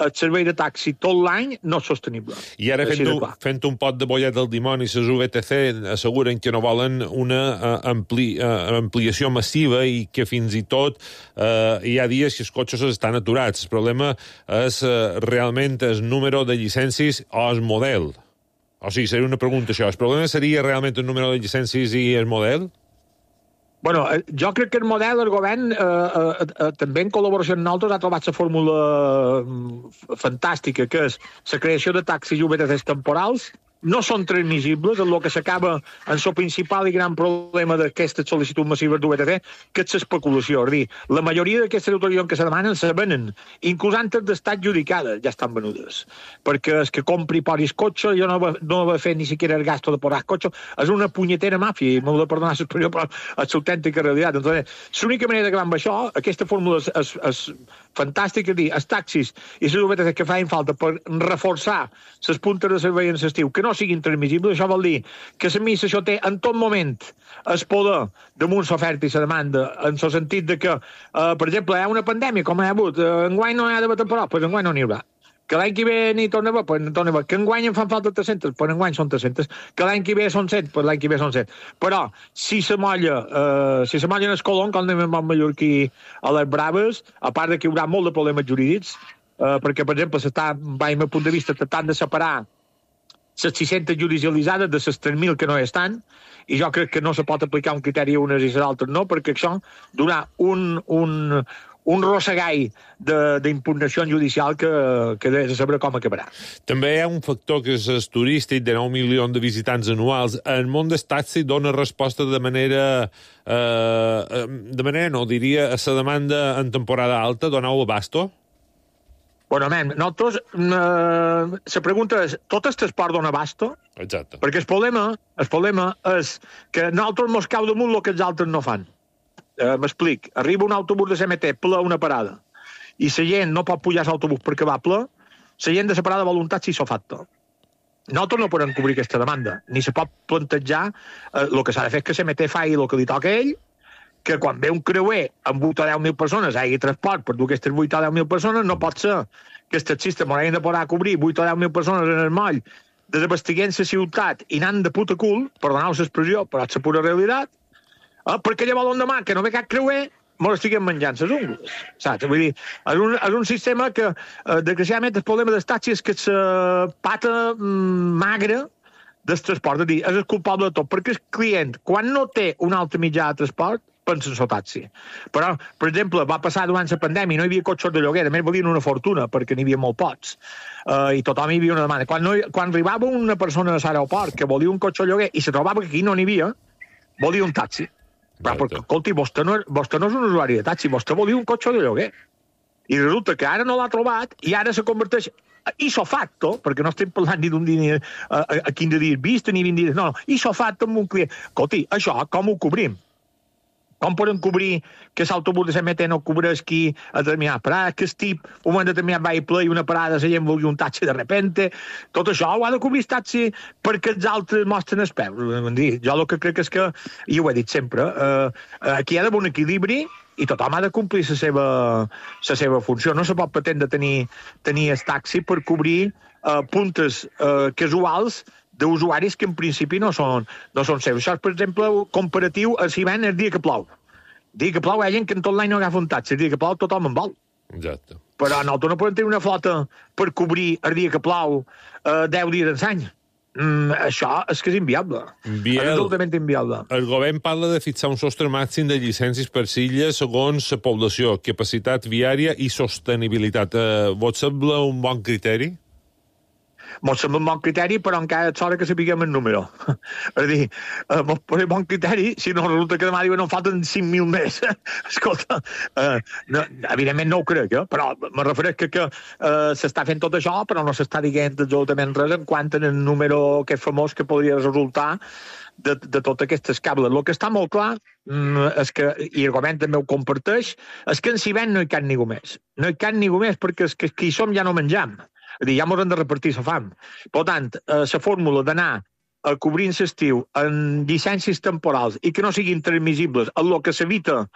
el servei de taxi tot l'any no és sostenible. I ara, fent, un, fent un pot de bollet del dimoni, les U B T C asseguren que no volen una uh, ampli, uh, ampliació massiva i que fins i tot uh, hi ha dies que els cotxes estan aturats. El problema és uh, realment el número de llicències o el model. O sigui, seria una pregunta això. El problema seria realment el número de llicències i el model? Bueno, jo crec que el model, el govern, eh, eh, eh, també en col·laboració amb nosaltres, ha trobat la fórmula fantàstica, que és la creació de taxis i U B T Cs temporals. No són transmissibles, el que s'acaba en el principal i gran problema d'aquestes sol·licituds massives d'U B T C, que és l'especulació. És a dir, la majoria d'aquestes autoritats que se demanen se venen, inclús antes d'estar adjudicades, ja estan venudes. Perquè és que compri i posis cotxe, jo no va, no va fer ni siquiera el gasto de posar cotxe, és una punyetera màfia, i m'ho de perdonar l'expressió, però és l'autèntica realitat. Entonces, l'única manera d'acabar amb això, aquesta fórmula és, és, és fantàstica, és dir, els taxis i les U B T C que feien falta per reforçar les puntes de servei en l'estiu, que no siguin transmissibles, això vol dir que l'administració té en tot moment el poder damunt l'oferta i la demanda, en el sentit de que, eh, per exemple, hi ha una pandèmia, com hi ha hagut, eh, enguany no hi ha d'haver temporal, doncs enguany no n'hi haurà. Que l'any que ve n'hi torna a haver, doncs torna a haver. Que enguany en fan falta tres-centes, doncs enguany són tres-centes. Que l'any que ve són cent, doncs l'any que ve són cent. Però, si se molla, eh, si se molla en el colon, com anem amb el mallorquí a les braves, a part de que hi haurà molt de problemes jurídics, eh, perquè, per exemple, s'està, va, al meu punt de vista, tratant de separar les sis-centes judicialitzades de les tres mil que no hi estan, i jo crec que no se pot aplicar un criteri a unes i a altres no, perquè això donarà un, un, un rossegall d'impugnació judicial que, que de saber com acabarà. També hi ha un factor que és el turístic, de nou milions de visitants anuals. El món del taxi dona resposta de manera... Eh, de manera, no, diria, a la demanda en temporada alta, donau abasto? Bueno, men, nosaltres, eh, la pregunta és, tot el transport dona abasto? Exacte. Perquè el problema, el problema és que nosaltres mos cau damunt el que els altres no fan. Eh, M'explic. Arriba un autobús de C M T ple a una parada i la gent no pot pujar a l'autobús perquè va ple, la gent de la parada vol un taxi sofacto. Nosaltres no podem cobrir aquesta demanda, ni se pot plantejar eh, el que s'ha de fer és que C M T faci el que li toca a ell, que quan ve un creuer amb vuit o deu mil persones hi hagi transport per dur aquestes vuit o deu mil persones, no pot ser que els taxistes m'haurien de poder cobrir vuit o deu mil persones en el moll desabastiguent la ciutat i anant de puta cul, perdoneu l'expressió, però és la pura realitat, eh, perquè llavors l'endemà, que no ve cap creuer, me l'estiguem menjant les ungles, saps? Vull dir, és un, és un sistema que, eh, desgraciadament, el problema dels taxis és que la pata mm, magra del transport, és dir, és el culpable de tot, perquè el client, quan no té un altre mitjà de transport, pensa en el taxi. Però, per exemple, va passar durant la pandèmia, no hi havia cotxes de lloguer, a més valien una fortuna, perquè n'hi havia molt pocs, uh, i tothom hi havia una demanda. Quan, no, quan arribava una persona a l'aeroport que volia un cotxe de lloguer i se trobava que aquí no n'hi havia, volia un taxi. Però, perquè, escolti, vostè no, vostè no és un usuari de taxi, vostè volia un cotxe de lloguer. I resulta que ara no l'ha trobat i ara se converteix iso facto, perquè no estem parlant ni d'un dia a, a, a quinze dies vista ni vint dies, no, no, iso facto amb un client. Escolti, això com ho cobrim? Com podem cobrir que l'autobús de la M T no cobreix qui a determinat parada, que el tip, un moment determinat va i ple i una parada la gent vulgui un taxi de repente, tot això ho ha de cobrir el taxi perquè els altres mostren el peu. Jo el que crec és que, i ho he dit sempre, eh, aquí hi ha d'haver un equilibri i tothom ha de complir la seva, la seva funció. No se pot pretendre tenir, tenir el taxi per cobrir eh, puntes eh, casuals d'usuaris que en principi no són, no són seus. Això és, per exemple, comparatiu a si ven el dia que plou. El dia que plou hi ha gent que en tot l'any no agafa un taxi. El dia que plou tothom en vol. Exacte. Però nosaltres no podem tenir una flota per cobrir el dia que plou eh, deu dies d'any. Mm, això és que és inviable. Biel, és absolutament inviable. El govern parla de fixar un sostre màxim de llicències per silla segons la població, capacitat viària i sostenibilitat. Eh, vos sembla un bon criteri? Mos sembla un bon criteri, però encara és hora que sapiguem el número. És a dir, eh, mos pone bon criteri, si no resulta que demà diuen no falten cinc mil més. Escolta, eh, no, evidentment no ho crec, eh? Però me refereix que, que eh, s'està fent tot això, però no s'està dient absolutament res en quant en el número que és famós que podria resultar de, de tot aquest escable. El que està molt clar mm, és que, i el govern també ho comparteix, és que en Ciment no hi cap ningú més. No hi cap ningú més perquè és que qui som ja no menjam. És a dir, ja ens hem de repartir la fam. Per tant, la eh, fórmula d'anar a cobrir l'estiu en llicències temporals i que no siguin transmissibles en el que s'evita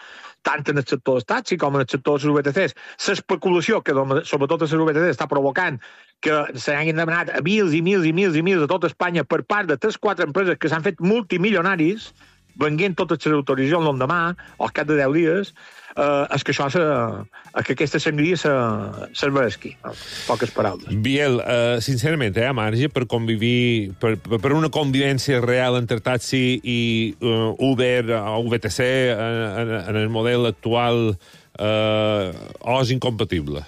tant en el sector dels taxis com en el sector de les U B T Cs, l'especulació que sobretot a les U B T Cs està provocant que se n'hagin demanat a mils i mils i mils i mils a tota Espanya per part de tres o quatre empreses que s'han fet multimilionaris venguent totes les autoritzacions l'endemà o al cap de deu dies, eh, és que això se, és que aquesta sangria se, serveixi, poques paraules. Biel, eh, sincerament, hi ha marge per convivir, per, per una convivència real entre taxi i uh, Uber o U B T C en, en el model actual eh, o és incompatible?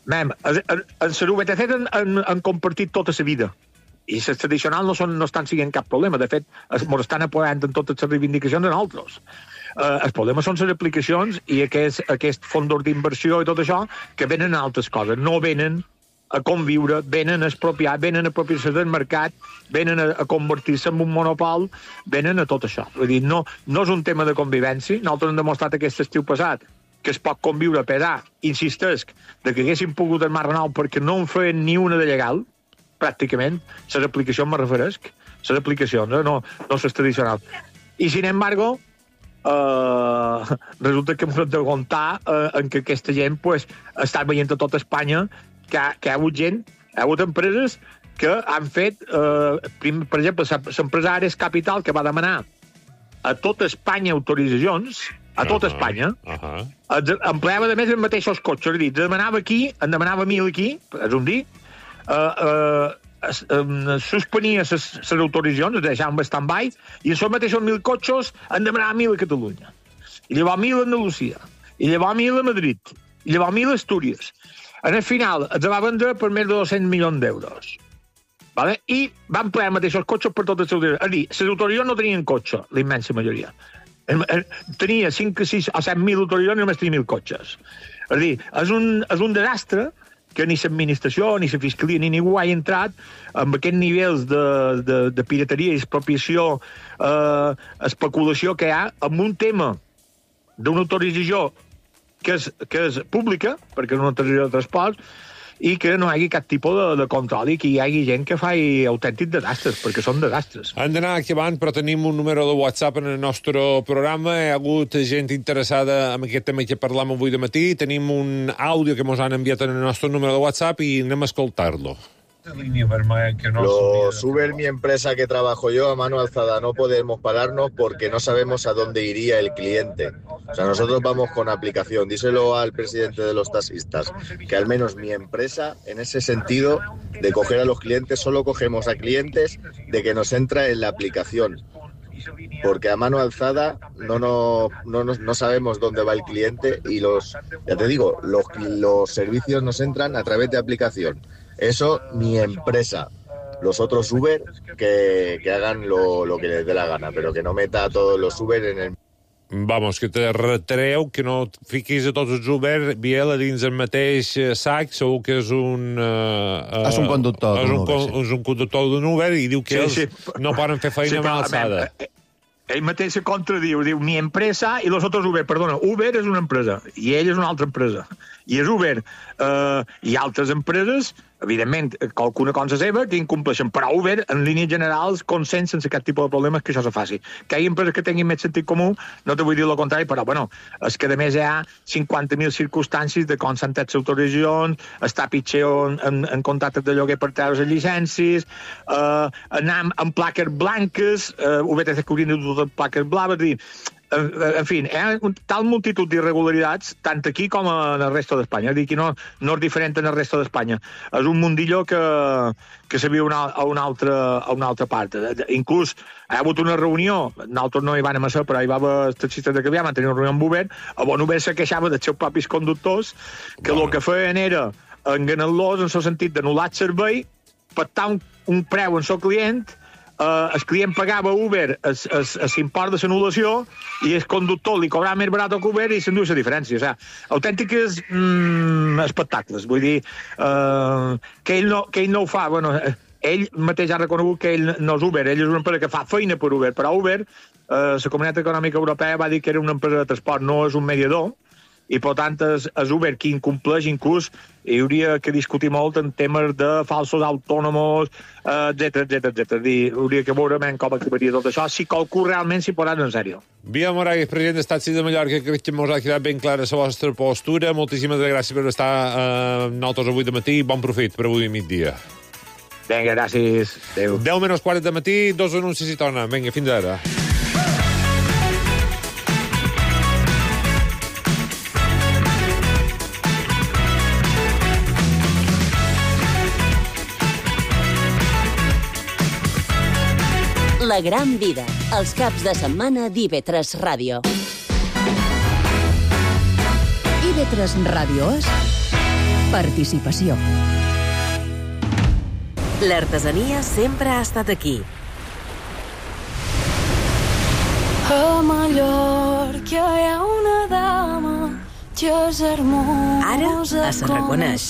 Mem, en, en, en les U B T C han, han, han compartit tota la vida. I les tradicionals no, són, no estan siguent cap problema. De fet, ens estan apoyant en totes les reivindicacions en altres. Uh, el problema són les aplicacions i aquest, aquest fons d'inversió i tot això que venen a altres coses. No venen a conviure, venen a expropiar, venen a apropiar-se del mercat, venen a, a convertir-se en un monopol, venen a tot això. Vull dir, no, no és un tema de convivència. Nosaltres hem demostrat aquest estiu passat que es pot conviure a pesar, insistesc, de que haguéssim pogut el Mar Renou perquè no en feien ni una de legal, pràcticament, les aplicacions me referesc, les aplicacions, eh? no, no les tradicionals. I, sin embargo, eh, resulta que hem de comptar eh, en que aquesta gent pues, està veient a tota Espanya que, que hi ha hagut gent, hi ha hagut empreses que han fet, eh, prim, per exemple, l'empresa Ares Capital, que va demanar a tota Espanya autoritzacions, a tota uh -huh, Espanya, uh -huh. empleava de més els mateixos cotxes, és a dir, demanava aquí, en demanava mil aquí, és un dir, Uh, uh, es, um, suspenia les autoritzacions, es deixaven en stand-by, i en són mateixos mil cotxes en demanava mil a Catalunya. I llavors mil a Andalusia. I llavors mil a Madrid. I llavors mil a Astúries. En el final, es va vendre per més de dos-cents milions d'euros. Vale? I van emplear els mateixos cotxes per totes les autoritzacions. És a dir, les autoritzacions no tenien cotxe, la immensa majoria. Tenia cinc, sis o set mil autoritzacions i només tenia mil cotxes. És a dir, és un, és un desastre que ni l'administració, ni la fiscalia, ni ningú ha entrat amb aquests nivells de, de, de pirateria i expropiació, eh, especulació que hi ha amb un tema d'una autorització que és, que és pública, perquè és una autorització de transport, i que no hi hagi cap tipus de, de control i que hi hagi gent que faci autèntics desastres, perquè són desastres. Han d'anar acabant, però tenim un número de WhatsApp en el nostre programa. Hi ha hagut gent interessada en aquest tema que parlam avui de matí. Tenim un àudio que mos han enviat en el nostre número de WhatsApp i anem a escoltar-lo. Los Uber, mi empresa que trabajo yo, a mano alzada, no podemos pararnos porque no sabemos a dónde iría el cliente. O sea, nosotros vamos con aplicación. Díselo al presidente de los taxistas, que al menos mi empresa, en ese sentido, de coger a los clientes, solo cogemos a clientes de que nos entra en la aplicación. Porque a mano alzada no, no, no, no sabemos dónde va el cliente y los, ya te digo, los, los servicios nos entran a través de aplicación. Eso, mi empresa. Los otros Uber, que, que hagan lo, lo que les dé la gana, pero que no meta a todos los Uber en el... Vamos, que te retreu que no fiquis a tots els Uber, Biel, a dins el mateix sac, segur que és un... Uh, és un conductor és d'un un, Uber, sí. És un conductor d'un Uber i diu que Sí, ells sí. no poden fer feina Sí, amb però, alçada. a veure, ell mateix se contradiu, diu mi empresa i los otros Uber. Perdona, Uber és una empresa i ell és una altra empresa. I és Uber eh, i altres empreses, evidentment, qualcuna cosa seva que incompleixen, però Uber, en línies generals, consens sense aquest tipus de problemes que això se faci. Que hi ha empreses que tinguin més sentit comú, no te vull dir el contrari, però, bueno, és que a més hi ha cinquanta mil circumstàncies de com s'han tret les autoritzacions, està pitjor en, en, en contractes de lloguer per treure les llicències, eh, anar amb, amb plaques blanques, eh, U B T C que haurien de dur plaques blaves, dir, en, en fi, hi ha un, tal multitud d'irregularitats, tant aquí com en el resto d'Espanya. És dir, que no, no és diferent en el resto d'Espanya. És un mundillo que, que se viu una, a, una altra, a una altra part. Inclús hi ha hagut una reunió, nosaltres no hi van a ser, però hi va haver els taxistes de Cavià, van tenir una reunió amb Uber, on Uber se queixava dels seus propis conductors, que el que feien era enganar-los en el sentit d'anul·lar el servei, pactar un, un preu en el client. Uh, el client pagava a Uber l'import de l'anul·lació i el conductor li cobrava més barat que Uber i s'enduia la diferència. O sigui, autèntiques mm, espectacles. Vull dir, uh, que, ell no, que ell no ho fa. Bueno, ell mateix ha reconegut que ell no és Uber, ell és una empresa que fa feina per Uber, però Uber, uh, la Comunitat Econòmica Europea va dir que era una empresa de transport, no és un mediador, i per tant és, és Uber qui incompleix. Inclús hi hauria que discutir molt en temes de falsos autònomos, etcètera, etcètera, etcètera. Hauria que veure com acabaria tot això, si qualcú realment s'hi posarà en sèrio. Biel Moragues, president de Taxis de Mallorca, crec que ens ha quedat ben clara la vostra postura. Moltíssimes gràcies per estar eh, nosaltres avui de matí. Bon profit per avui a migdia. Vinga, gràcies. Adéu. deu menys quaranta de matí, dos anuncis i torna. Vinga, fins ara. La gran vida, els caps de setmana d'I V tres Ràdio. I V tres Ràdio és participació. L'artesania sempre ha estat aquí. A Mallorca hi ha una dama que és hermosa. Ara es reconeix.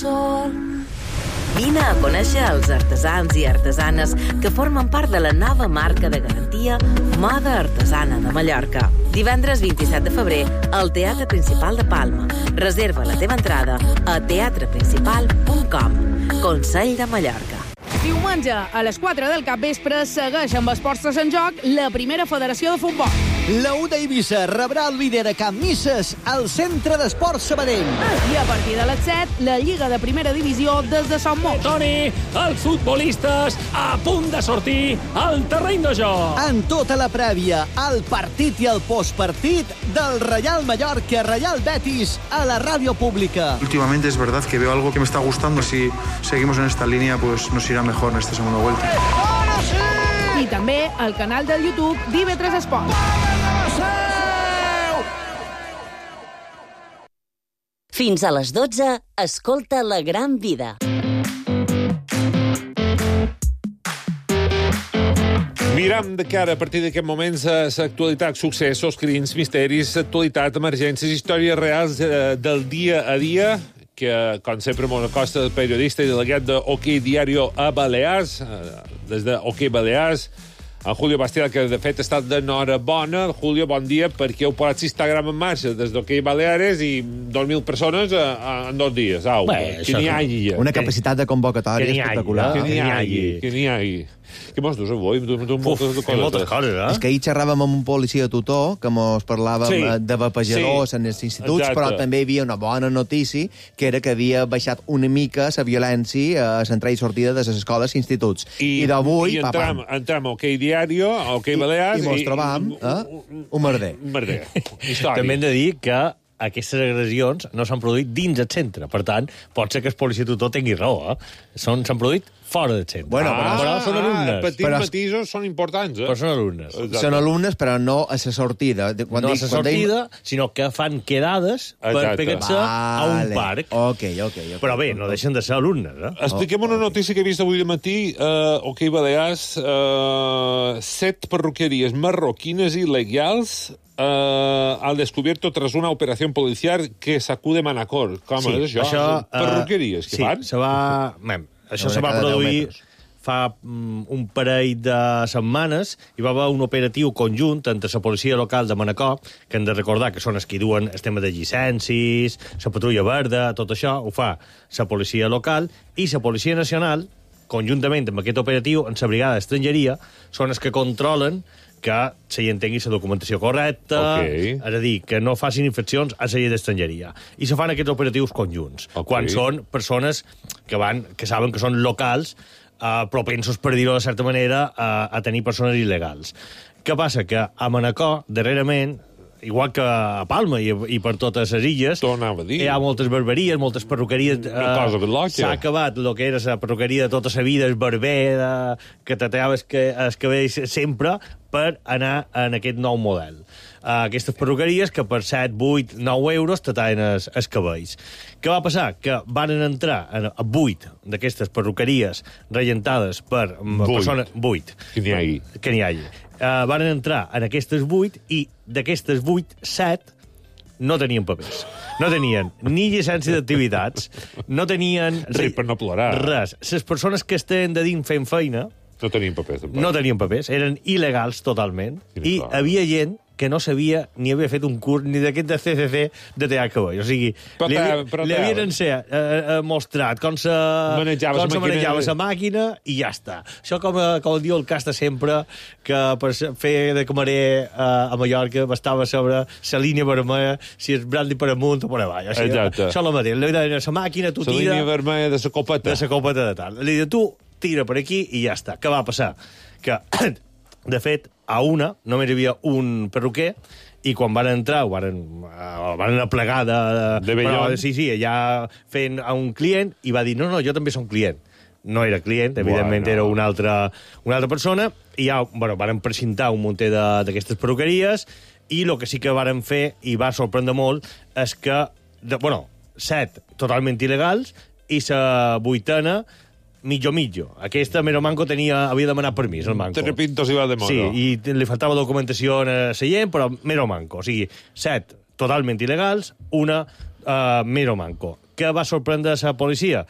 Vine a conèixer els artesans i artesanes que formen part de la nova marca de garantia Moda Artesana de Mallorca. Divendres vint-i-set de febrer al Teatre Principal de Palma. Reserva la teva entrada a teatre principal punt com. Consell de Mallorca. Diumenge, a les quatre del capvespre, segueix amb esports en joc la primera federació de futbol. La U d'Eivissa rebrà el líder a Can Misses al Centre d'Esports Sabadell. I a partir de les set, la Lliga de Primera Divisió des de Sant Mos. Toni, els futbolistes a punt de sortir al terreny de joc. En tota la prèvia, el partit i el postpartit del Real Mallorca Real Betis a la ràdio pública. Últimamente es verdad que veo algo que me está gustando. Si seguimos en esta línea, pues nos irá mejor en esta segunda vuelta. I també al canal del YouTube d'I V tres Esport. Fins a les dotze, escolta La Gran Vida. Miram de cara a partir d'aquest moment l'actualitat, successos, crims, misteris, actualitat, emergències, històries reals eh, del dia a dia, que, com sempre, Mona Costa, periodista i delegat de OK Diario a Balears, des de OK Balears, en Julio Bastial, que de fet està d'enhorabona. Julio, bon dia, perquè heu posat Instagram en marxa des d'OK Baleares i dos mil persones en dos dies. Au, Bé, que n'hi hagi. Una capacitat de convocatòria espectacular. Que n'hi hagi, que n'hi hagi. Què mos dius avui? Tu, tu, moltes, Uf, moltes coses, eh? És que ahir xerràvem amb un policia tutor, que mos parlàvem Sí. de vapejadors Sí. en els instituts, Exacte. però també hi havia una bona notícia, que era que havia baixat una mica la violència a l'entrada i sortida de les escoles i instituts. I, I d'avui, I entram, papam. entram a OK Diario, a OK Balears... I mos trobam, eh? Un merder. Un merder. Història. També hem de dir que aquestes agressions no s'han produït dins el centre. Per tant, pot ser que el policia tutor tingui raó, eh? Són- S'han produït fora del centre. Bueno, Ah, però- però són alumnes. petits Però- matisos són importants, eh? Però són alumnes. Exacte. Són alumnes, però no a la sortida. De- Quan no a dic- la quan deim- sortida, sinó que fan quedades per Exacte. pegar-se a un Vale. parc. Ok, ok, ok. Però bé, no deixen de ser alumnes, eh? Expliquem una notícia que he vist avui al matí. Uh, OK Balears, uh, set perruqueries marroquines il·legals uh, al descubierto tras una operación policial que sacude Manacor. Com Sí, és això? això, eh, Perruqueries, que sí, fan? se va... Mem, això Una se va cada deu produir metres. fa mm, un parell de setmanes. Hi va haver un operatiu conjunt entre la policia local de Manacor, que hem de recordar que són els que duen el tema de llicències, la patrulla verda, tot això, ho fa la policia local, i la policia nacional, conjuntament amb aquest operatiu, en la brigada d'estrangeria, són els que controlen que la gent tingui la documentació correcta, Ok. és a dir, que no facin infraccions a la llei d'estrangeria. I se fan aquests operatius conjunts, Ok. quan són persones que van que saben que són locals, eh, propensos, per dir-ho de certa manera, a, a tenir persones il·legals. Què passa? Que a Manacor, darrerament, igual que a Palma i, i per totes les illes, hi ha moltes barberies, moltes perruqueries. Una cosa que l'oca. S'ha acabat el que era la perruqueria de tota la vida, el barber, de, que t'atraves que, els cabells sempre, per anar en aquest nou model. Uh, aquestes perruqueries que per set, vuit, nou euros te tallen els, els cabells. Què va passar? Que van entrar en, a vuit d'aquestes perruqueries regentades per Vuit. persones... Vuit. Que n'hi hagi. Que n'hi hagi. Uh, van entrar en aquestes vuit i d'aquestes vuit, set no tenien papers. No tenien ni llicència d'activitats, no tenien... Res per no plorar. Res. Les persones que estaven de dins fent feina No tenien papers, tampoc. no tenien papers, eren il·legals totalment, i clar. havia gent que no sabia ni havia fet un curs ni d'aquest de C C C de tallar cabell. O sigui, Però li, te- havia- però li te- havien ense, eh, eh, mostrat com se Manejava com la se màquina. manejava la màquina i ja està. Això com, eh, com diu el Casta sempre, que per se- fer de camarer eh, a Mallorca bastava sobre la línia vermella, si és brandy per amunt o per avall. O sigui, Exacte. això és el mateix. Li deien, la màquina, tu La tira... línia vermella de la copeta. De la copeta de tal. Li diu, tu tira per aquí i ja està. Què va passar? Que, de fet, a una només hi havia un perruquer i quan van entrar, ho van, uh, van aplegar de... De vellón. Però, sí, sí, allà fent a un client i va dir, no, no, jo també som client. No era client, evidentment Bueno. era una altra, una altra persona, i ja, bueno, van precintar un munter de- d'aquestes perruqueries, i el que sí que varen fer, i va sorprendre molt, és que, de, bueno, set totalment il·legals, i la vuitena, mitjo mitjo. Aquesta, Mero Manco, tenia, havia demanat permís, el Manco. Tres pintos i va de modo. Sí, i te- li faltava documentació a la gent, però Mero Manco. O sigui, set totalment il·legals, una uh, Mero Manco. Què va sorprendre la policia?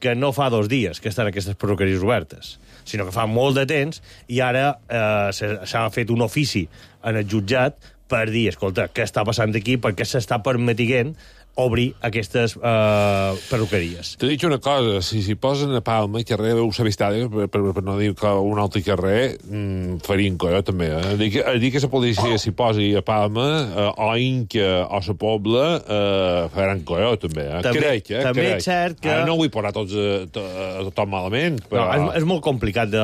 Que no fa dos dies que estan aquestes perruqueries obertes, sinó que fa molt de temps, i ara eh, s'ha s'ha fet un ofici en el jutjat per dir, escolta, què està passant aquí, perquè s'està permetint obrir aquestes eh, perruqueries. T'he dit una cosa, si s'hi posen a Palma i carrer veu la Vistària, per, per, per no dir que un altre carrer, mmm, farien colló també, eh? Dir que, dir que la policia s'hi posi a Palma, eh, o Inca, o la Pobla, eh, faran colló també, eh? També- crec, eh? també crec. és cert que- Ara no vull posar tots a, to, a tothom malament, però... No, és, és molt complicat de,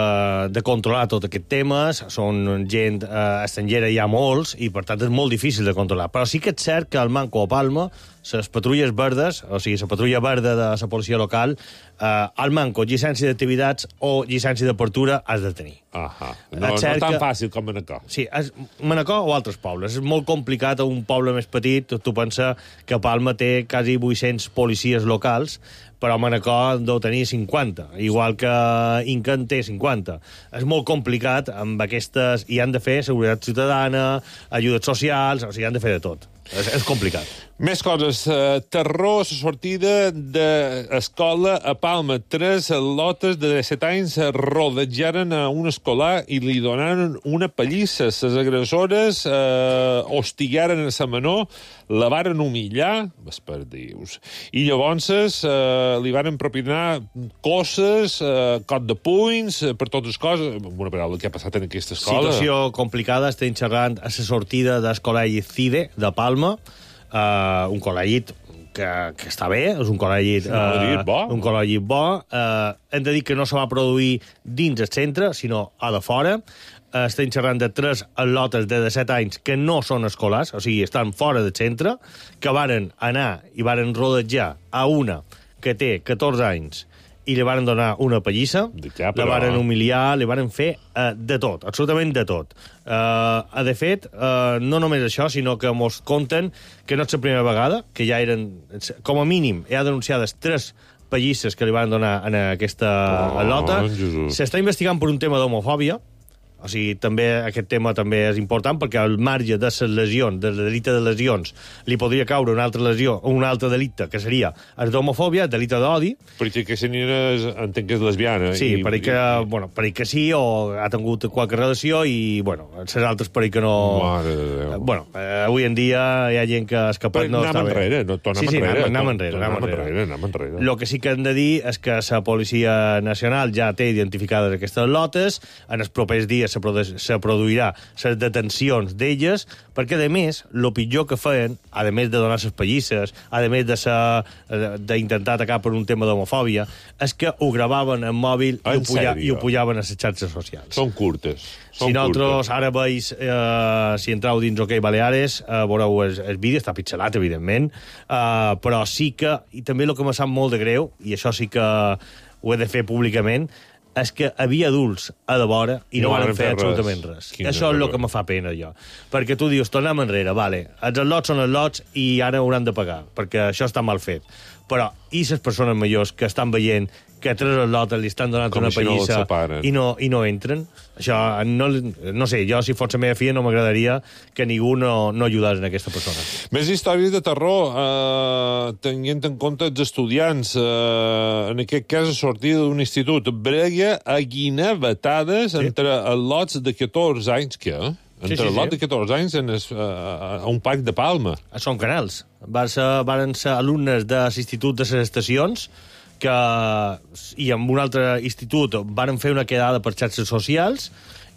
de controlar tot aquest temes, són gent eh, estrangera, hi ha molts, i per tant és molt difícil de controlar. Però sí que és cert que al Manco o Palma, les patrulles verdes, o sigui, la patrulla verda de la policia local, eh, al Manco, llicència d'activitats o llicència d'apertura has de tenir. Ahà. No, no És cert tan que- fàcil com Manacor. Sí, és Manacor o altres pobles. És molt complicat a un poble més petit. Tu, tu pensa que Palma té quasi vuit-cents policies locals, però Manacor en deu tenir cinquanta, igual que Inca en té cinquanta. És molt complicat amb aquestes... I han de fer seguretat ciutadana, ajudes socials, o sigui, han de fer de tot. És, és complicat. Més coses. Uh, terror a la sortida d'escola a Palma, tres lotes de disset anys rodejaren a un escolar i li donaren una pallissa. Les agressores eh, hostigaren a la menor, la varen humillar, esperdius, i llavors eh, li varen propinar coses, eh, cot de punys, eh, per totes les coses. Una paraula, què ha passat en aquesta escola? Situació complicada, estem xerrant a la sortida del col·legi CIDE de Palma, uh, un col·legi que, que està bé, és un col·legi Sí, uh, bo. un col·legi bo. Uh, hem de dir que no se va produir dins el centre, sinó a de fora. Uh, estem xerrant de tres lotes de disset anys que no són escolars, o sigui, estan fora del centre, que varen anar i varen rodejar a una que té catorze anys i li varen donar una pallissa, ja, però... la varen humiliar, li varen fer uh, de tot, absolutament de tot. Uh, de fet, uh, no només això, sinó que mos conten que no és la primera vegada, que ja eren, com a mínim, ja denunciades tres pallisses que li van donar en aquesta oh, lota. S'està investigant per un tema d'homofòbia, o sigui, també aquest tema també és important perquè al marge de les lesions, del delicte de lesions, li podria caure una altra lesió o un altre delicte, que seria el d'homofòbia, el delicte d'odi. Perquè aquesta nina és, entenc que és lesbiana. Sí, i, perquè, i... bueno, perquè sí, o ha tingut qualque relació i, bueno, les altres perquè no... Mare de Déu. Bueno, eh, avui en dia hi ha gent que ha escapat... Però no està anem enrere, no, tornem sí, sí, enrere. anem enrere, anem enrere. Anem enrere. Lo que sí que hem de dir és que la Policia Nacional ja té identificades aquestes lotes, en els propers dies se produeix se produirà les detencions d'elles, perquè, a més, el pitjor que feien, a més de donar les pallisses, a més de ser, d'intentar atacar per un tema d'homofòbia, és que ho gravaven en mòbil i ho, puja, i ho pujaven a les xarxes socials. Són curtes. Són si nosaltres curtes. ara veus, eh, si entreu dins OK Baleares, eh, veureu el, el vídeo, està pixelat, evidentment, eh, però sí que, i també el que m'ha sap molt de greu, i això sí que ho he de fer públicament, és que havia adults a de vora i no, no van fer, fer absolutament res. res. Això és el que me fa pena, jo. Perquè tu dius, tornem enrere, vale, els lots són els lots i ara hauran de pagar, perquè això està mal fet. Però, i les persones majors que estan veient que tres lotes li estan donant com una si pallissa no i, no, i no entren? Això, no, no sé, jo, si fos la meva filla, no m'agradaria que ningú no, no ajudés en aquesta persona. Més històries de terror, eh, tenint en compte els estudiants, eh, en aquest cas a sortida d'un institut, brega a guinevetades sí. entre els lots de catorze anys, què? Entre sí, sí, el lot sí. de catorze anys en es, uh, a un parc de Palma. Són canals. Van ser, van ser alumnes de l'institut de les estacions que, i amb un altre institut varen fer una quedada per xarxes socials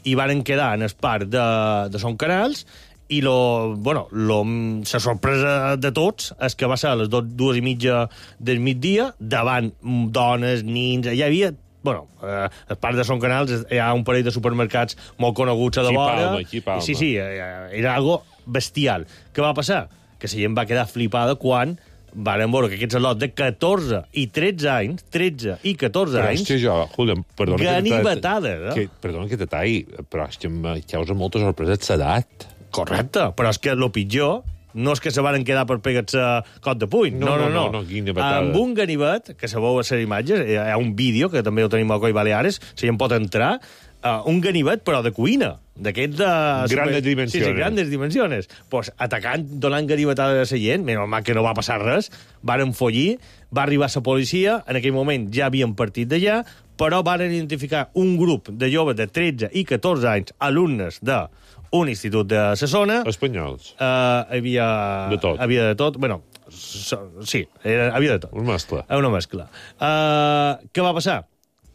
i varen quedar en el parc de, de Son Canals i lo, bueno, lo, la sorpresa de tots és que va ser a les dos, dues i mitja del migdia davant dones, nins, hi havia... Bueno, eh, al parc de Son Canals hi ha un parell de supermercats molt coneguts a de vora. Aquí Palma, sí, sí, era algo bestial. Què va passar? Que la gent va quedar flipada quan varen veure que aquests lots de catorze i tretze anys, tretze i catorze però anys... Però és que jo, Julián, perdona... Ganivetades, eh? Que, perdona que te talli, però és que em causa molta sorpresa l'edat. Correcte, però és que el pitjor... No és que se varen quedar per pegar-se cot de puny. No, no, no. no, no, no amb un ganivet, que se veu a les imatges, hi ha un vídeo, que també ho tenim a Coi Baleares, si hi en pot entrar, uh, un ganivet, però de cuina. D'aquest de... Grandes dimensiones. Sí, sí, grandes dimensiones. Pues atacant, donant ganivetades a la gent, menys mal que no va passar res, varen follir, va arribar la policia, en aquell moment ja havien partit d'allà, però varen identificar un grup de joves de tretze i catorze anys, alumnes de un institut de la zona. Espanyols. Uh, havia... De tot. Havia de tot. Bueno, so, sí, era, havia de tot. Una mescla. Una mescla. Uh, què va passar?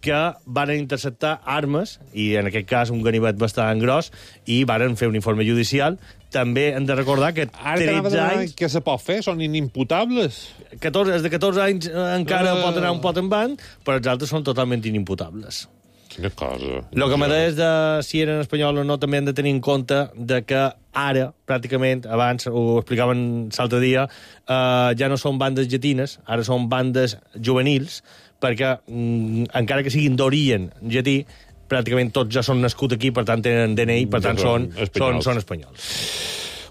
Que varen interceptar armes, i en aquest cas un ganivet bastant gros, i varen fer un informe judicial. També hem de recordar que tretze anys... Què se pot fer? Són inimputables? catorze, els de catorze anys encara uh... pot anar un pot en van, però els altres són totalment inimputables. Quina cosa. El que m'ha de de si eren espanyols o no també hem de tenir en compte de que ara, pràcticament, abans ho explicaven l'altre dia, eh, ja no són bandes llatines, ara són bandes juvenils, perquè mm, encara que siguin d'origen llatí, pràcticament tots ja són nascuts aquí, per tant tenen D N I, per tant ja són, són, espanyols. són, són espanyols.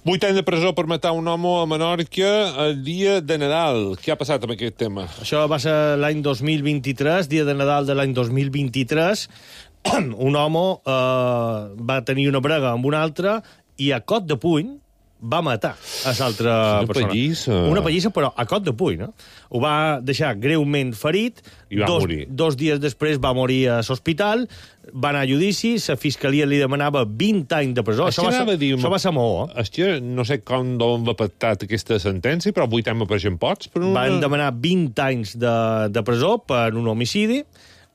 Vuit anys de presó per matar un home a Menorca el dia de Nadal. Què ha passat amb aquest tema? Això va ser l'any dos mil vint-i-tres, dia de Nadal de l'any dos mil vint-i-tres. Un home eh, va tenir una brega amb un altre i a cot de puny, va matar a l'altra persona. Una pallissa. Una pallissa, però a cot de puny, no? Ho va deixar greument ferit. I va dos, morir. Dos dies després va morir a l'hospital, va anar a judici, la fiscalia li demanava vint anys de presó. Això, això va, dir, això va ser molt. És que no sé com d'on va pactat aquesta sentència, però vuit anys me pareixen pocs. Per una... Van demanar vint anys de, de presó per un homicidi.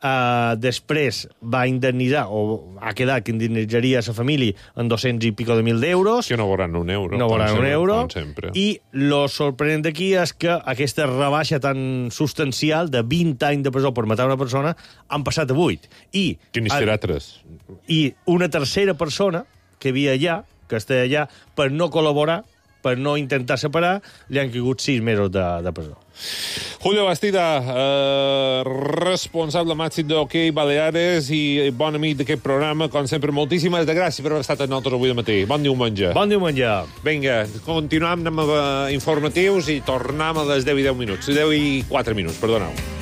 Uh, després va indemnitzar, o ha quedat que indemnitzaria a la família en dos-cents i pico de mil d'euros. Que no veuran un euro. No veuran un euro. Sempre. I lo sorprenent d'aquí és que aquesta rebaixa tan substancial de vint anys de presó per matar una persona han passat a vuit. I, que ni serà tres. I una tercera persona que havia allà, que està allà, per no col·laborar, per no intentar separar, li han caigut sis mesos de, de presó. Julio Bastida, eh, responsable màxim d'Hockey Baleares i bon amic d'aquest programa, com sempre, moltíssimes de gràcies per haver estat amb nosaltres avui de matí. Bon diumenge. Bon diumenge. Vinga, continuam amb informatius i tornem a les deu i deu minuts. deu i quatre minuts, perdoneu.